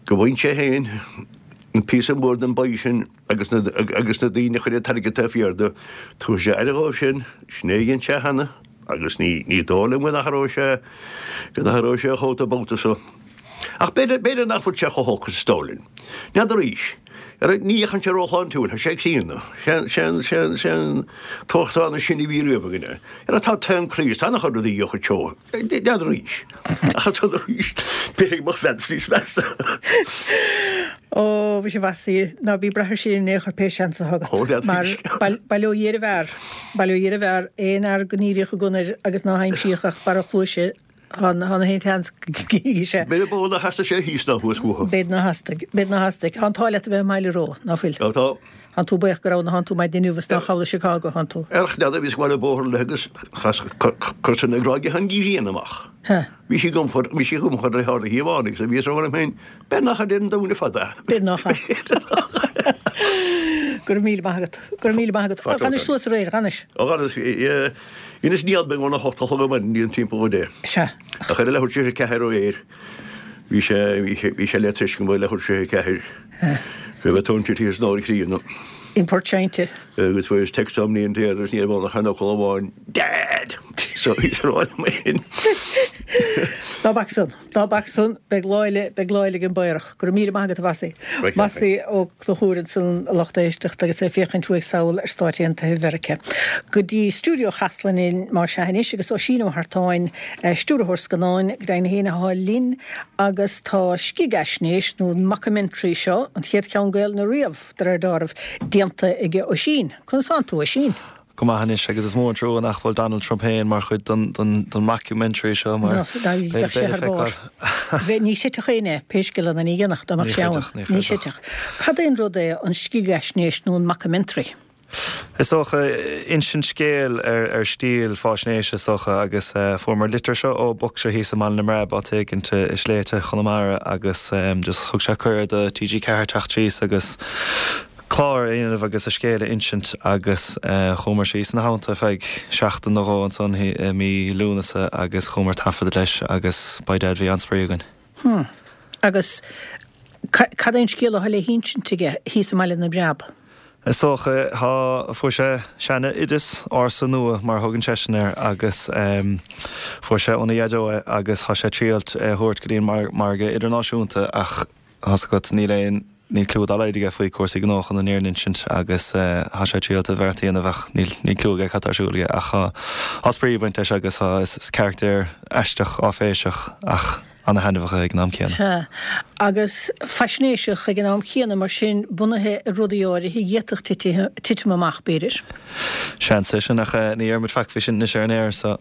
go bhfaigheann sé féin an píosa mór den bpie sin agus na agus na daoine a chuir an t-airgead taobh thiar de, tabharfaidh sé aire dhóibh sin, sin é a dhein sé cheana agus ní ní dóigh liom go n-athróidh sé go n-athróidh sé a chóta babhta so. Ach b'fhéidir b'fhéidir nach bhfuil sé chomh holc is dóigh linn. N'fheadar arís. Ar ní fhéachann sé róshláintiúil, tá sé críonna. Sé sé sé sé an t-uachtarán is sine a bhí riamh againne. Ar tá taom croí is tá an-chuid rudaí a chuid seo. N'fheadar arís. Ach ansan arís, b'fhéidir go mbeadh Vance níos measa. Ó, mhuise a Mhossie, ná bí ag brath air sin in aon chor pé seans atá agat. Ó, n'fheadar Mar arís. bail ó Dhia ar an bhfear. Bail ó Dhia ar an bhfear, aon fhear go ndíríodh an gunna air agus ná haimsíodh ach barra a chluaise Tá na haon tseans go gcífidh sé. B'fhéidir ba mhó nár theastaigh sé thíos ná thuas uathu. B'fhéidir nár theastaigh. B'fhéidir nár theastaigh. Tá an t-ádh leat a bheith i mBaile Reo, ná fuil? Tá, tá. Tánn tú buíoch go raibh ná thánn tú maidin inniu is nár chabhlaigh Chicago, thánn tú. Ar n'fheadar, bhíos ag gabháil an bóthar le agus chas cur na gráige an ghrian amach. Ha. Bhí sí ag iompar, bhí sí ag iompar le hard a thaobh amháin agus bhíos ag rá liom féin, b'fhéidir nach ar an domhan fada. B'fhéidir nach ea. Go raibh míle maith agat. Go raibh míle maith agat. Dh'fhanais suas aréir, dh'fhanais. Ó dh'fhanas, Dheineas néal beag óna hocht a chlog ar maidin go dtí an timpeall a deich. Sea. Ach ar a leathuair tar éis a ceathair aréir, bhí sé, bhí sé, bhí sé le tuiscint go leathuair tar éis a ceathair. Go raibh tóin tite san áir chríonna. In Port Seinnte. Agus fuaireas text óm níon air agus ní raibh ann ach aon fhocal amháin, Dad! So bhíos ag rá liom féin. Ná bac san. Ná bac san. Beidh lá eile, beidh lá eile ag an bPaorach. Go raibh míle maith agat, a Mhossie. Mossie Ó Conchúir ansan, a lucht éisteachta, agus é ag féachaint uaidh sall ar Stáit Aontaithe Mheiriceá. Go dtí stiúideo Chasla linn más ea anois agus Oisín Ó hEartáin, stiúrthóir scannáin, go deimhin féin atá linn agus tá scigaisnéis nó mockumentary seo, an chéad cheann Gaelainne riamh, de réir dealraimh, déanta aige Oisín. Conas tánn tú, Oisín? Go maith anois agus is mór an trua nach bhfuil Donald Trump féin mar chuid den den mockumentary seo mar beidh le feiceáil. Bheadh, ní chreidfeadh éinne é, pé scéal é ná ní dhéanfadh dá mbeadh sé ann. Ní chreidfeadh. Cad é an rud é an scigaisnéis nó an mockumentary? Is dócha, insint scéil ar ar stíl fáisnéise is dócha agus fuaireamar litir seo ó boxer thíos i mBaile na mBreab áit éigint i sléibhte Chonamara agus just thug sé cuireadh do T G ceathair teacht síos agus clár a dhéanamh agus a scéal a insint agus chuamar síos ina theannta feadh seachtain nó dhó ansan i mí Lúnasa agus chuamar taifeadadh leis agus by dad bhí an-spraoi againn. Hmm. Agus cad é an scéal atá le hinsint aige thíos i mBaile na mBreab? Is dócha, tá, fuair sé seana-oideas ársa nua mar a thugann seisean air agus fuair sé óna dhaideo é agus tá sé ag triailt é a thabhairt go dtí an margadh idirnáisiúnta ach tá's agat níl aon, níl clue dá laghad aige faoi chúrsaí gnó chun an fhírinne a insint agus tá sé ag triailt a bheart a dhéanamh ach níl, níl clue aige cad tá ar siúl aige ach tá, tá spraoi ag baint leis agus tá, is carachtar aisteach áiféiseach ach ana-thaitneamhach é ag an am céanna. Sea, agus faisnéiseach ag an am céanna, mar sin, bunaithe ar rudaí áirithe a d'fhéadfadh titim amach, b'fhéidir. Seans é sin, ach ní déarfaidh muid faic faoi sin anois ar an aer, so.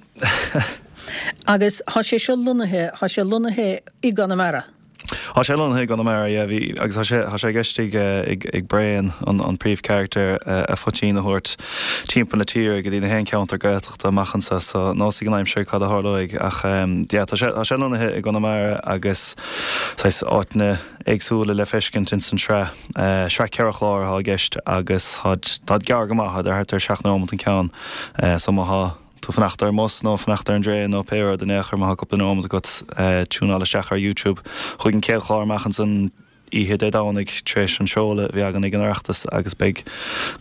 Agus tá sé seo lonnaithe, tá sé lonnaithe i gConamara. Tá sé lonnaithe i gConamara, yeah, bhí, agus tá sé, tá sé i gceist ag, ag, ag Braon, an, an príomhcharachtar, a phoitín a thabhairt timpeall na tíre go dtí na haon ceantar Gaeltachta amach anseo, so níl a fhios ag an aimsir cad a tharlóidh ach yeah, tá sé, tá sé lonnaithe i gConamara agus saghas áiteanna éagsúla le feiscint ins an tsraith. Sraith ceithre chlár atá i gceist agus táid, táid gearr go maith, táid thart ar seacht nóimeat an ceann, so má thá. tú fanacht ar an mbus nó fanacht ar an dtraein nó pé rud in aon chor má tá cúpla nóiméad agat tiúnáil isteach ar YouTube chuig an chéad chlár amach ansan oíche Dé Domhnaigh tar éis an seoladh a bhí againn ag an Oireachtas agus beidh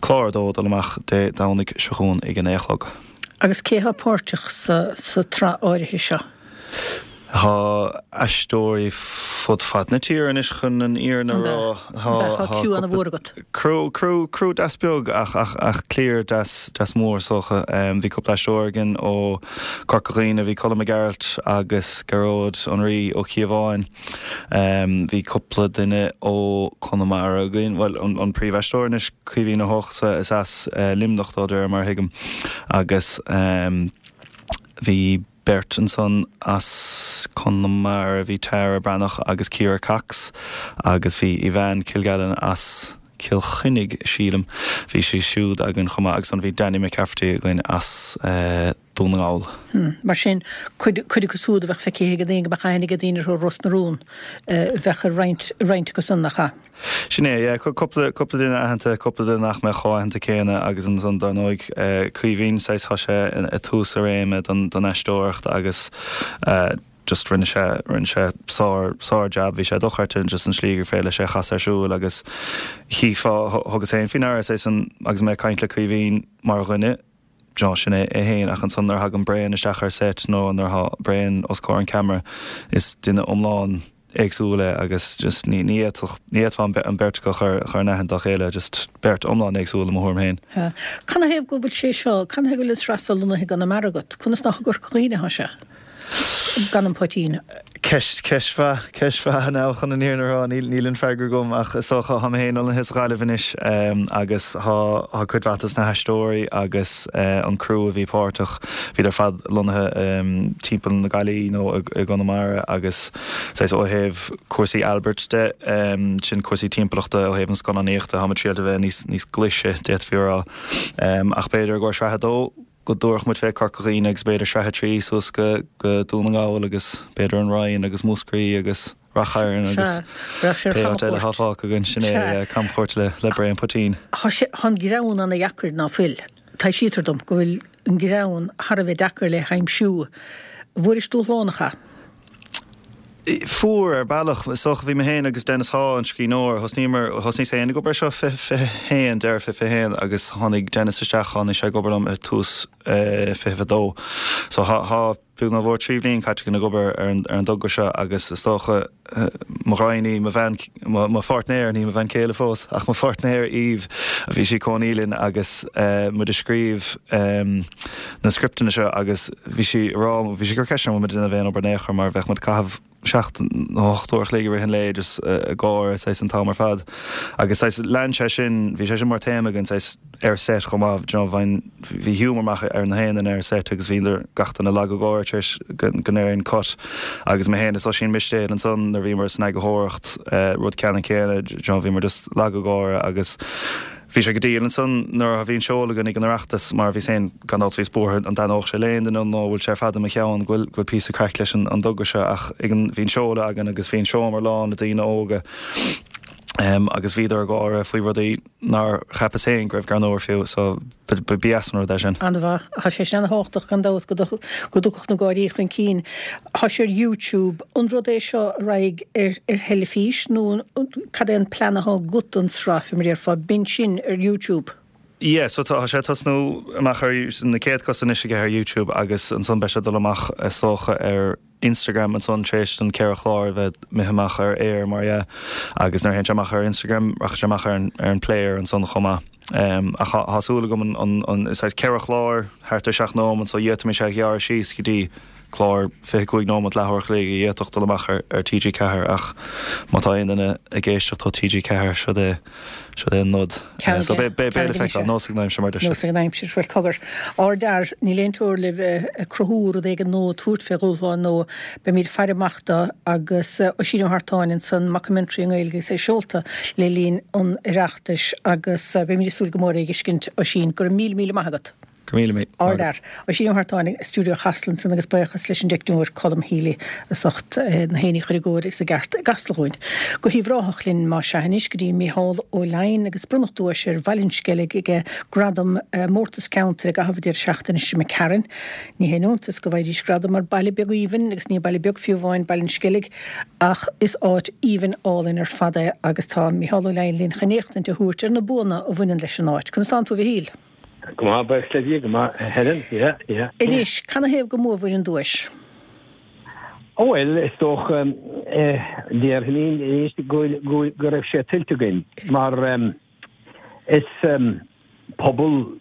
clár a dó ag dul amach Dé Domhnaigh seo chugainn ag a naoi a chlog. Agus cé atá páirteach sa tsraith áirithe seo? Tá aisteoirí fud fad na tíre anois chun an fhírinne a rá. Tá criú ana-mhór agat. Criú, criú, criú deas beag ach, ach, ach cliar deas, deas mór is dócha. Bhí cúpla aisteoir againn ó Corca Dhuibhne, bhí Colm Mac Gearailt agus Gearóid an Rí Ó Cíobháin. Bhí cúpla duine ó Conamara againn, bhuel an, an príomhaisteoir anois, Caoimhín Ó hEochasa, is as Luimneach dó de réir mar a thuigim agus bhí beirt ansan as Conamara, bhí Tara Breathnach agus Ciara Cox agus bhí Yvonne Kilgallen as Cill Chainnigh, sílim, bhí sí siúd againn chomh maith agus ansan bhí Danny McCafferty againn as Dún na nGall. Mar sin, cuid acu siúd a bheadh feicthe ag daoine, go mbeadh aithne ag daoine orthu Ros na Rún, bheadh roinnt, roinnt acu san, nach ea? Sin é, yeah, cúpla, cúpla duine aitheanta, cúpla duine nach mbeadh chomh aitheanta céanna agus ansan dar ndóigh Caoimhín, saghas, tá sé i dtús a réime don, don aisteoireacht agus just rinne sé, rinne sé sár, sár jab, bhí sé dochreidte just an slí gur féidir leis é a chasadh ar siúl agus chífeá, thugas féin faoi ndeara saghas an, agus mé ag caint le Caoimhín mar dhuine, d'you know, sin é é féin ach ansan nuair a thagann Braon isteach ar set nó nuair atá Braon os comhair an ceamara is duine iomlán éagsúil é agus just ní ní fhéadfadh ní fhéadfá an beirt acu a chur a chur in aithne dá chéile, just beirt iomlán éagsúil i mo thuairim féin. Canathaobh go bhfuil sé seo, canathaobh go bhfuil an tsraith seo lonnaithe i gConamara agat? Conas nach i gCorca Dhuibhne atá sé? Gan an poitín. Ceist, ceist mhaith, ceist mhaith now chun an fhírinne a rá, níl, níl an freagra agam ach is dócha, tá mé féin lonnaithe sa Ghaillimh anois agus tá, tá cuid mhaith dos na haisteoirí agus an criú a bhí páirteach, bhíodar ar fad lonnaithe timpeall na Gaillimhe nó i gConamara agus saghas ó thaobh cúrsaí Albert de, sin cúrsaí timpeallachta ó thaobh an scannánaíochta, tá muid triailte a bheith níos, níos glaise d'fhéadfaí a rá. Ach b'fhéidir i gcomhair sraith a dó, go dtabharfadh muid fé Corca Dhuibhne agus b'fhéidir sraith a trí suas go Dún na nGall agus b'fhéidir an Rinn agus Múscraí agus Rath Chairn agus pé áit eile atá fágtha againn. Sin é camchuairt le Braon Poitín. Tá sé, tá an greann ana dheacair ná fuil? Taibhsítear dom go bhfuil an greann thar a bheith deacair le haimsiú. Bhfuairis dúshlán, nach ea? Fuair, ar bealach. Is dócha, bhí mé féin agus Dennis Haugh, an scríbhneoir, thosnaíomar, thosnaíos féin ag obair air seo fiche, fiche haon, deireadh fiche fiche haon agus tháinig Dennis isteach, tháinig sé ag obair liom i tús fiche fiche dó. So thá, thá beag nó mór trí bhliain caite againn ag obair ar an, ar an dtogra seo agus is dócha, mo ghraidhin í, mo bhean, mo pháirtnéir, ní mo bhean chéile fós, ach mo pháirtnéir Eve, bhí sí ag cónaí linn agus muid ag scríobh na scripteanna seo agus bhí sí ag rá, bhí sí ag cur ceiste orm an bhfuil muid ag déanamh aon obair in aon chor mar bheadh muid ag caitheamh seacht nó ocht uair a chloig i rith an lae just ag gáire saghas an t-am ar fad agus saghas lean sé sin, bhí sé sin mar théama againn saghas ar set chomh maith, do you know, bhain, bhí humour amach ar na haon duine ar set agus bhíodar gach duine lag ag gáire tar éis go ndéarfainn cut agus mé féin is Oisín Mistéil ansan nuair a bhíomar san eagarthóireacht, rud ceannann céanna, do you know, bhíomar just lag ag gáire agus bhí sé go diail ansan nuair a bhí an seoladh againn ag an Oireachtas mar bhíos féin gan dabht bhíos buartha an dtaitneodh sé le aon duine nó bhfuil sé ar fad i mo cheann go bhfuil go bhfuil píosa craic leis an an dtogra seo ach ag an bhí an seoladh againn agus bhí an seomra lán le daoine óga agus bhíodar ag gáire faoi rudaí nár cheapas féin go raibh greannmhar fiú so ba dheas an rud é sin. An-mhaith. Tá sé sin ana-thábhachtach gan dabht go dtiocfadh na gáirí chun cinn. Tá sé ar YouTube. An rud é seo a raghaidh ar ar theilifís nó cad é an plean atá agat don tsraith, fé mar a déarfá, b'in sin ar YouTube? Yeah, so tá sé ag tosnú amach ar na céad cosa anois aige ar YouTube agus ansan beidh sé ag dul amach is dócha ar Instagram ansan tar éis don ceithre chlár a bheith imithe amach ar aer mar dhea agus nuair a théann sé amach ar Instagram rachaidh sé amach ar an ar an player ansan chomh maith. Ach tá súil agam an an an saghas ceithre chlár thart ar seacht nóiméad so d'fhéadfaimis é a ghearradh síos go dtí clár fiche cúig nóiméad leathuair a chloig a d'fhéadfadh dul amach ar ar T G ceathair ach má tá aon duine ag éisteacht ó T G ceathair siod é siod é an nod. So beidh beidh beidh le feiceáil, nós ag an aimsir mar a deir siad. Nós ag an aimsir, bhuel cogar. Ardfhear, níl aon teora le bheith ag cruthú rud éigin nua, tabhairt fé dhúshlán nua. Beimid ag faire amach dó agus Oisín Ó hArtáin ansan, mockumentary i nGaeilge agus é seolta le linn an Oireachtais agus beimid ag súil go mór é a fheiscint Oisín. Go raibh míle míle maith agat. Go míle míle. Ardfhear. Oisín Ó hArtáin i stiúideo Chasla ansan agus buíochas leis an dteicneoir Colm Healy as ucht na héinní a chur i gcóir agus i gceart i gCasla dhúinn. Go hUíbh Ráthach linn más ea anois go dtí Mícheál Ó Leidhin agus bronnadh duais ar Bhaile an Sceilg ag Gradam Mórtas Ceantair i gcaitheamh an deireadh seachtaine seo imigh tharainn. Ní haon iontas go bhfaighidís gradam mar baile beag aoibhinn agus ní baile beag fiú amháin Baile an Sceilg ach is áit aoibhinn álainn ar fad é agus tá Mícheál Ó Leidhin linn chun éachtaint a thabhairt ar na buanna a bhaineann leis an áit. Conas tánn tú a Mhichíl? Go maith, buíochas le Dia, go maith, a Helen, yeah, yeah. Anois, canathaobh go mbuabhair an duais? Ó bhuel, is dócha, déarfainn anois go go raibh sé tuillte againn, mar is pobal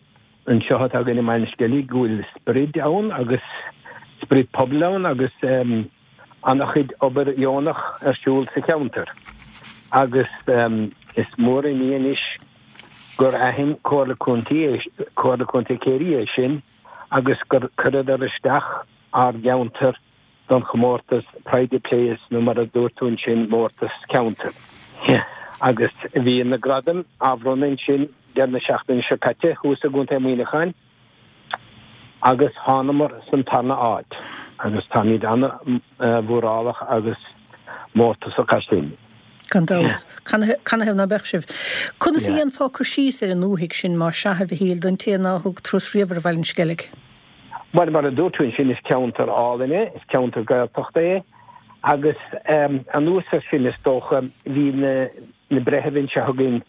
anseo atá againn i mBaile an Sceilg go bhfuil sprid ann agus sprid pobail ann agus an-chuid obair dheonach ar siúl sa cheantar agus is mór an ní anois gur aithin Comhairle Contae, Comhairle Contae Chiarraí é sin agus gur chuireadar isteach ár gceantar don chomórtas Pride of Place nó mar a dúirt tú ansin Mórtas Ceantair. Agus bhí na gradaim á bhronnadh ansin deireadh na seachtaine seo caite thuas i gContae Mhuineacháin. Agus thánamar san tarna áit agus táimid ana-mhórálach agus mórtasach as sin. Gan dabht. Canathaobh ná beadh sibh? Conas a dhéanfá cur síos ar an ndúthaigh sin, más ea, a Mhichíl, don té ná thug turas riamh ar Bhaile an Sceilg? Bhuel, mar a dúirt tú ansin, is ceantar álainn é, is ceantar Gaeltachta é agus anuas air sin, is dócha, bhí na breithimh anseo againn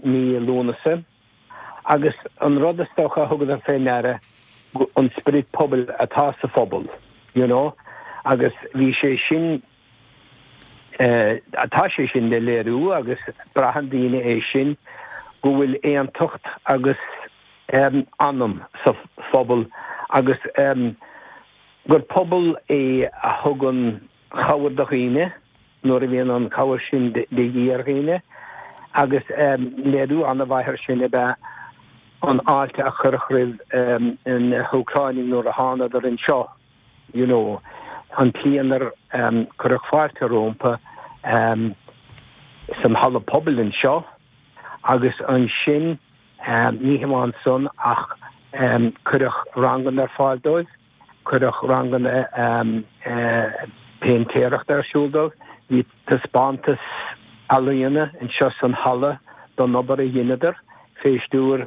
mí Lúnasa, Agus an rud is dócha a thugadar fé ndeara, an sprid pobail atá sa phobal, you know, agus bhí sé sin, tá sé sin le léiriú agus braitheann daoine é sin, go bhfuil aontacht agus anam sa phobal agus gur pobal é a thugann cabhair do dhaoine nuair a bhíonn an chabhair sin de dhíth ar dhaoine agus léiriú an-mhaith air sin ab ea an fháilte a cuireadh roimh na hÚcráinigh nuair a thánadar anseo, you know, an tslí inar cuireadh fáilte rompu san halla pobail anseo agus ansin ní hamháin san ach cuireadh ranganna ar fáil dóibh. Cuireadh ranganna péintéireachta ar siúl dóibh. Bhí taispeántas ealaíona anseo san halla don obair a dheineadar fé stiúir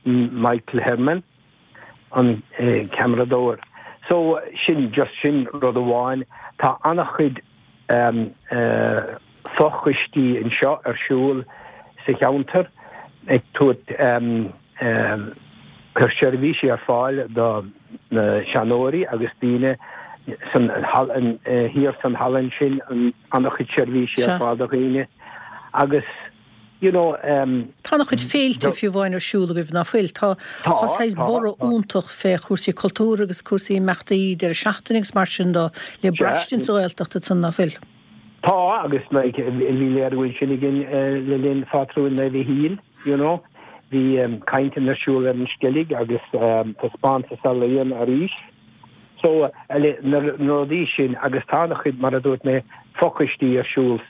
Michael Hermann, an ceamaradóir. So, sin, just sin rud amháin. Tá an-chuid fochoistí anseo ar siúl sa cheantar ag tabhairt cur seirbhísí ar fáil do na seanóirí agus daoine san thiar san halla ansin, an-chuid seirbhísí ar fáil do dhaoine agus you know. Tá an-chuid féilte fiú amháin ar siúl agaibh, ná fuil? Tá tá saghas borradh iontach fé chúrsaí cultúir agus cúrsaí imeachtaí deireadh seachtaine agus mar sin de le braistint sa Ghaeltacht ansan, ná fuil? Tá, agus like bhí léiriú ansin againn le linn Phátrúin Naomh Mhichíl, you know. Bhí cainteanna ar siúl ar an Sceilg agus taispeántas ealaíon arís. So, na rudaí sin agus tá an-chuid, mar a dúirt mé, fochoistí ar siúl,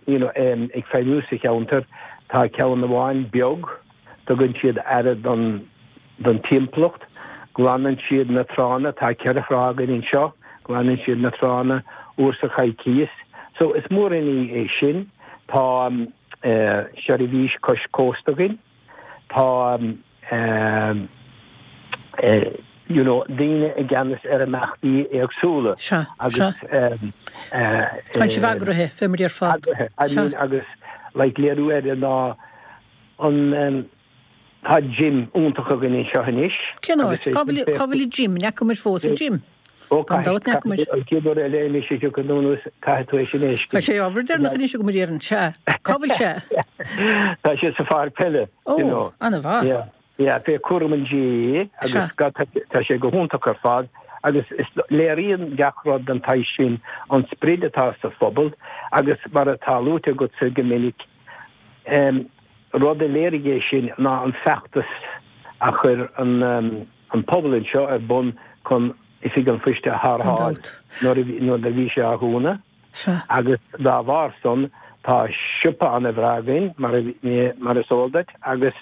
you know, ag feidhmiú sa cheantar. Tá ceann amháin beag, tugann siad aire don don timpeallacht, glanann siad na tránna, tá ceithre thrá againn anseo, glanann siad na tránna uair sa choicíos. So, is mór an ní é sin. Tá seirbhís cois cósta againn. Tá you know daoine i gceannas ar imeachtaí éagsúla Sea, agus sea. Tá sibh eagraithe, fé mar a déarfá. Eagraithe, I Sea. mean agus like léiriú air ná an tá gym iontach againn anseo anois Cén agus áit? é Cá sin bhfuil, cá bhfuil an gym? An fhaca muid fós an gym? Ó Gan dabht caithfidh, an fhaca muid. caithfidh, an chéad uair eile anois a thiocfaidh tú anuas caithfidh tú é sin a Tá fheiscint. sé ábhar deireanach anois agam a déarfainn. Sea. Cá bhfuil sé? Tá sé sa pháirc peile, Ó, you know. an-mhaith. Yeah. Yeah, fé chúram an GAA agus Sea. tá sé go hiontach ar fad agus is léiríonn gach rud den tsaghas sin an sprid atá sa phobal agus mar atá luaite agatsa go minic, rud a léirigh é sin ná an feachtas a chuir an pobal anseo ar bun chun Oifig an Phoist a Gan tharrtháil dabht. nuair a bhí sé á dhúnadh. Sea. Agus dá bharr san tá siopa ana-bhreá againn, mar is eol duit, agus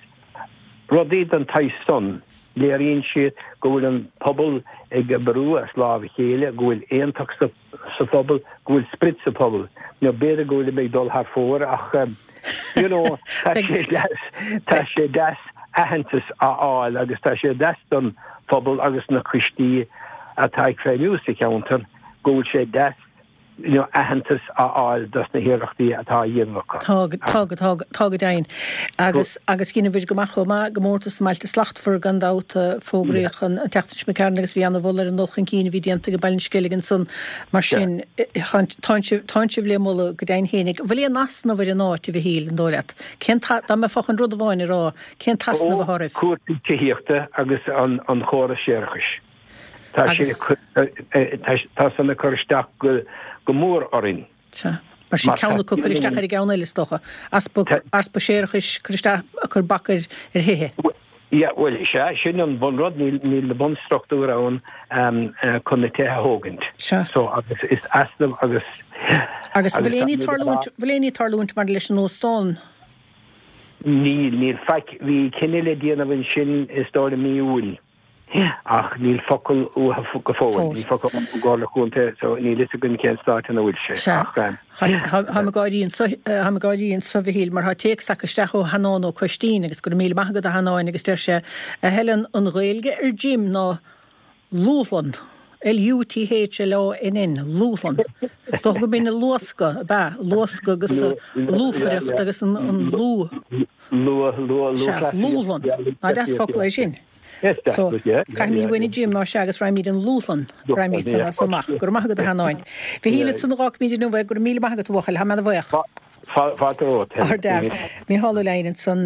Rudaí den tsaghas san, léiríonn siad go bhfuil an pobal ag oibriú as lámh a chéile, go bhfuil aontacht sa phobal, go bhfuil sprid sa phobal. Nó b'fhéidir go bhfuilim ag dul thar fóir ach you know, tá sé deas, tá sé deas aitheantas a fháil agus tá sé deas don phobal agus na coistí atá ag feidhmiú sa cheantar go bhfuil sé deas you know, aitheantas a fháil dos na hiarrachtaí atá á dhéanamh acu. Tá, tá, tá, tá go deimhin. Agus, agus dheineabhair go maith chomh maith i gcomórtas na mBailte Slachtmhar gan dabht, fógraíodh an tseachtain seo imigh tharainn agus bhí ana-mholadh ar an dul chun cinn a bhí déanta ag Baile an Sceilg ansan. Mar sin, tánn sibh, tánn sibh le moladh go deimhin fhéinig. Bhfuil aon easnamh ar an áit, a Mhichíl, an dóigh leat? Cén t-, dá mbeifeá chun rud amháin a rá, cén t-easnamh atá oraibh? Cúrsaí tithíochta agus an, an chóras séarachais. Tá sé, tá san ag cur isteach go mór orainn. Sea. Mar sin ceann acu ag cur isteach ar an gceann eile, is dócha. Easpa, easpa séarachais, cur isteach, ag cur bac ar thithe. Yeah, bhuel, sea, sin an bunrud, níl, níl na bunstruchtúir ann chun na tithe a thógaint. Sea. So, agus is easnamh agus. Agus bhfuil aon ní tarlúint, bhfuil aon ní tarlúint maidir leis an óstán? Níl, níl faic. Bhí cinneadh le déanamh ansin, is dóigh liom, mí Iúil. Ach níl focal uathu go fóill. Níl focal ón gComhairle Chontae so níl fhios againn cén stáit ina bhfuil sé. Sea. Táim ag gáirí anso, táim ag gáirí anso, a Mhichíl, mar tá téacs tagtha isteach ó Sheanán Ó Coistín agus go raibh míle maith agat a Sheanáin agus deir sé, A Helen, an Ghaeilge ar Jim ná Lúthlann, L-U-T-H-L-A-N-N, Lúthlann. Is dócha go mb'in an luascadh, ab ea? Luascadh agus lúfaireacht agus an lú. Luath, luath, Sea, Lúthlann. Ná deas focal é sin. So, caithfimid uainn an Jim, más ea, agus raghaimid an Lúthlann, raghaimid san as amach. Go raibh maith agat a Sheanáin. Mhichíl, ansan a dh'fhágfaimid inniu é, go raibh míle maith agat a bhuachaill, tá mé ana-bhuíoch. Fáilte romhat. Ardfhear. Mícheál Ó Leidhin ansan,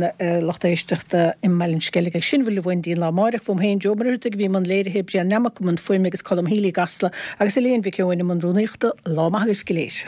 lucht éisteachta i mBaile an Sceilg. Agus sin a bhfuil uainn go dtí an lá amáireach. Uaim féin, Joe Ó Muircheartaigh a bhí i mbun léirithe, Brian Nammock i mbun fuaime agus Colm Healy i gCasla agus Elaine Mhic Eoin i mbun rúnaíochta. Lá maith agaibh go léir.